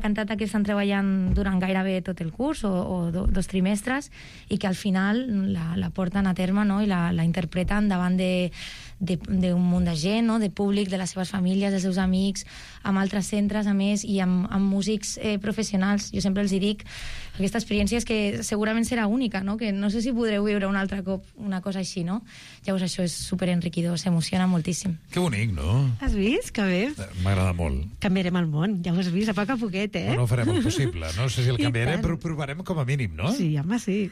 Q: cantata que estan treballant durant gairebé tot el curs o 2 trimestres i que al final la porten a terme, no? I la interpreten davant d'un munt de gent, no? De públic, de les seves famílies, dels seus amics, amb altres centres, a més, i amb músics professionals. Jo sempre els dic que aquesta experiència és que segurament serà única, no? Que no sé si podreu viure un altre cop una cosa així, no? Llavors això és superenriquidor, s'emociona moltíssim.
L: Que bonic, no?
O: Has vist? Que bé.
L: M'agrada molt.
O: Canviarem el món, ja ho has vist, a poc a poquet,
L: No farem el possible. No sé si el canviarem, però provarem com a mínim, no?
O: Sí, home, sí.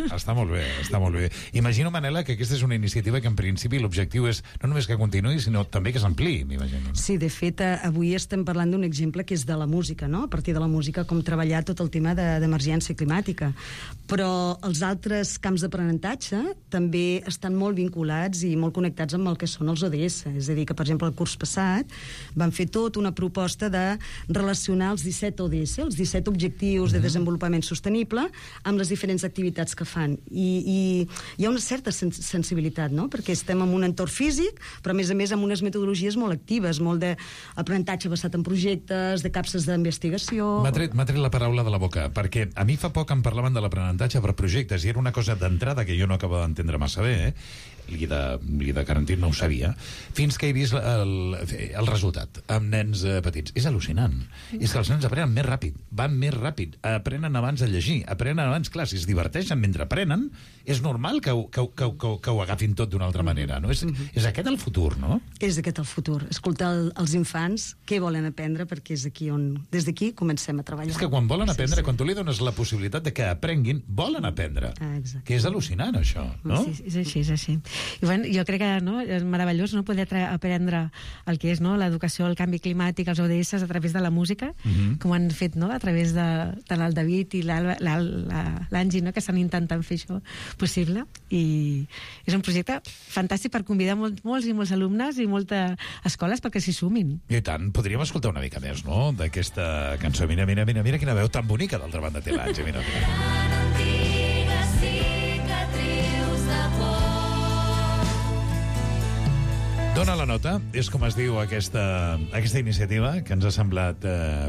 L: Està molt bé, està molt bé. Imagino, Manela, que aquesta és una iniciativa que en principi l'objectiu és no només que continuï, sinó també que s'ampliï, m'imagino.
R: Sí, de fet, avui estem parlant d'un exemple que és de la música, no? A partir de la música, com treballar tot el tema d'emergència climàtica. Però els altres camps d'aprenentatge també estan molt vinculats i molt connectats amb el que són els ODS. És a dir, que, per exemple, el curs passat van fer tot una proposta de relacionar els 17 ODS, els 17 objectius de desenvolupament sostenible, amb les diferents activitats que fan. I hi ha una certa sensibilitat, no? Perquè estem en un entorn físic, però a més amb unes metodologies molt actives, molt d'aprenentatge basat en projectes, de capses d'investigació...
L: M'ha tret la paraula de la boca, perquè a mi fa poc em parlaven de l'aprenentatge per projectes, i era una cosa d'entrada que jo no acabava d'entendre massa bé, Lídia Carantín no ho sabia, fins que he vist el resultat amb nens petits. És al·lucinant. És que els nens aprenen més ràpid, van més ràpid, aprenen abans de llegir, aprenen abans, clar, si es diverteixen mentre aprenen, és normal que ho agafin tot d'una altra manera, no? És aquest el futur, no?
R: És aquest el futur. Escoltar els infants què volen aprendre, perquè és aquí on, des d'aquí, comencem a treballar.
L: És que quan volen aprendre, quan tu li dones la possibilitat de que aprenguin, volen aprendre. Que és al·lucinant, això, no?
O: Sí, és així, és així. I bueno, jo crec que és meravellós no poder aprendre el que és l'educació, el canvi climàtic, els ODS a través de la música, com han fet a través de tant el David i l'Angie, que estan intentant fer això possible. I és un projecte fantàstic per convidar molts i molts alumnes i moltes escoles perquè s'hi sumin.
L: I tant, podríem escoltar una mica més, no?, d'aquesta cançó. Mira quina veu tan bonica, d'altra banda té l'Angie, mira. Dona la nota, és com es diu aquesta iniciativa, que ens ha semblat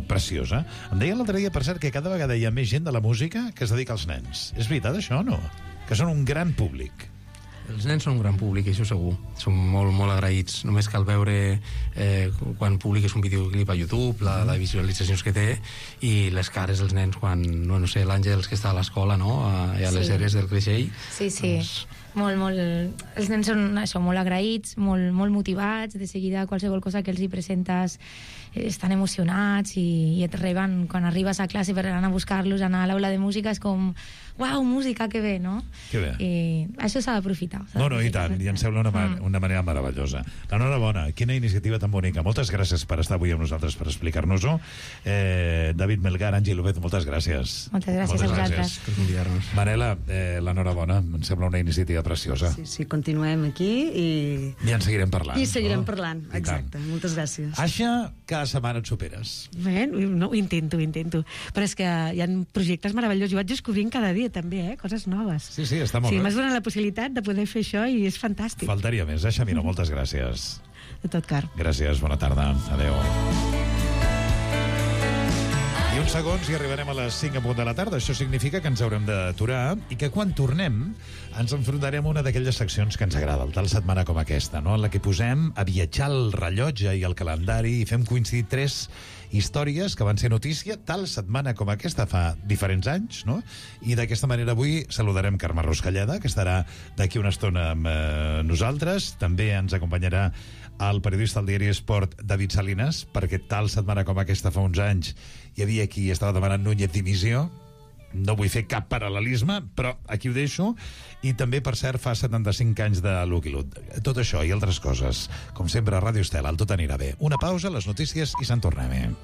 L: preciosa. Em deien l'altre dia, per cert, que cada vegada hi ha més gent de la música que es dedica als nens. És veritat, això, o no? Que són un gran públic.
P: Els nens són un gran públic, això segur. Som molt, molt agraïts. Només cal veure quan publiques un videoclip a YouTube, les visualitzacions que té, i les cares dels nens quan, no sé, l'Àngels que està a l'escola, no? I a les eres del Creixell.
Q: Sí. Molt. Els nens són això, molt agraïts, molt motivats. De seguida, qualsevol cosa que els hi presentes estan emocionats i et reben quan arribes a classe per anar a buscar-los, anar a l'aula de música, és com, uau, música, que bé, no?
L: Que bé.
Q: I això s'ha d'aprofitar.
L: No, i tant, i em sembla una manera meravellosa. Enhorabona, quina iniciativa tan bonica. Moltes gràcies per estar avui amb nosaltres, per explicar-nos-ho. David Melgar, Àngel López, moltes gràcies.
Q: Moltes gràcies a vosaltres.
P: Per convidar-nos.
L: Manela, l'enhorabona, em sembla una iniciativa preciosa.
R: Sí, continuem aquí i...
L: I en seguirem parlant.
R: I seguirem parlant, exacte. Moltes gràcies.
L: Aixa, cada setmana et superes.
O: Bé, no, ho intento. Però és que hi ha projectes meravellosos. Jo vaig descobrint cada dia, també, coses noves.
L: Sí, està molt bé.
O: M'has donat la possibilitat de poder fer això i és fantàstic.
L: Faltaria més. Aixa, mira, moltes gràcies.
O: De tot car.
L: Gràcies, bona tarda. Adéu. I uns segons i arribarem a les 5 en punt de la tarda. Això significa que ens haurem d'aturar i que quan tornem ens enfrontarem a una d'aquelles seccions que ens agrada, tal setmana com aquesta, no? En la que posem a viatjar el rellotge i el calendari i fem coincidir 3 històries que van ser notícia tal setmana com aquesta fa diferents anys, no? I d'aquesta manera avui saludarem Carme Ruscalleda, que estarà d'aquí una estona amb nosaltres. També ens acompanyarà el periodista del diari Esport, David Salinas, perquè tal setmana com aquesta fa uns anys hi havia qui estava demanant Núñez dimissió. No vull fer cap paral·lelisme, però aquí ho deixo. I també, per cert, fa 75 anys de Lucky Luke. Tot això i altres coses, com sempre, a Ràdio Estel, el Tot anirà bé. Una pausa, les notícies i se'n tornem.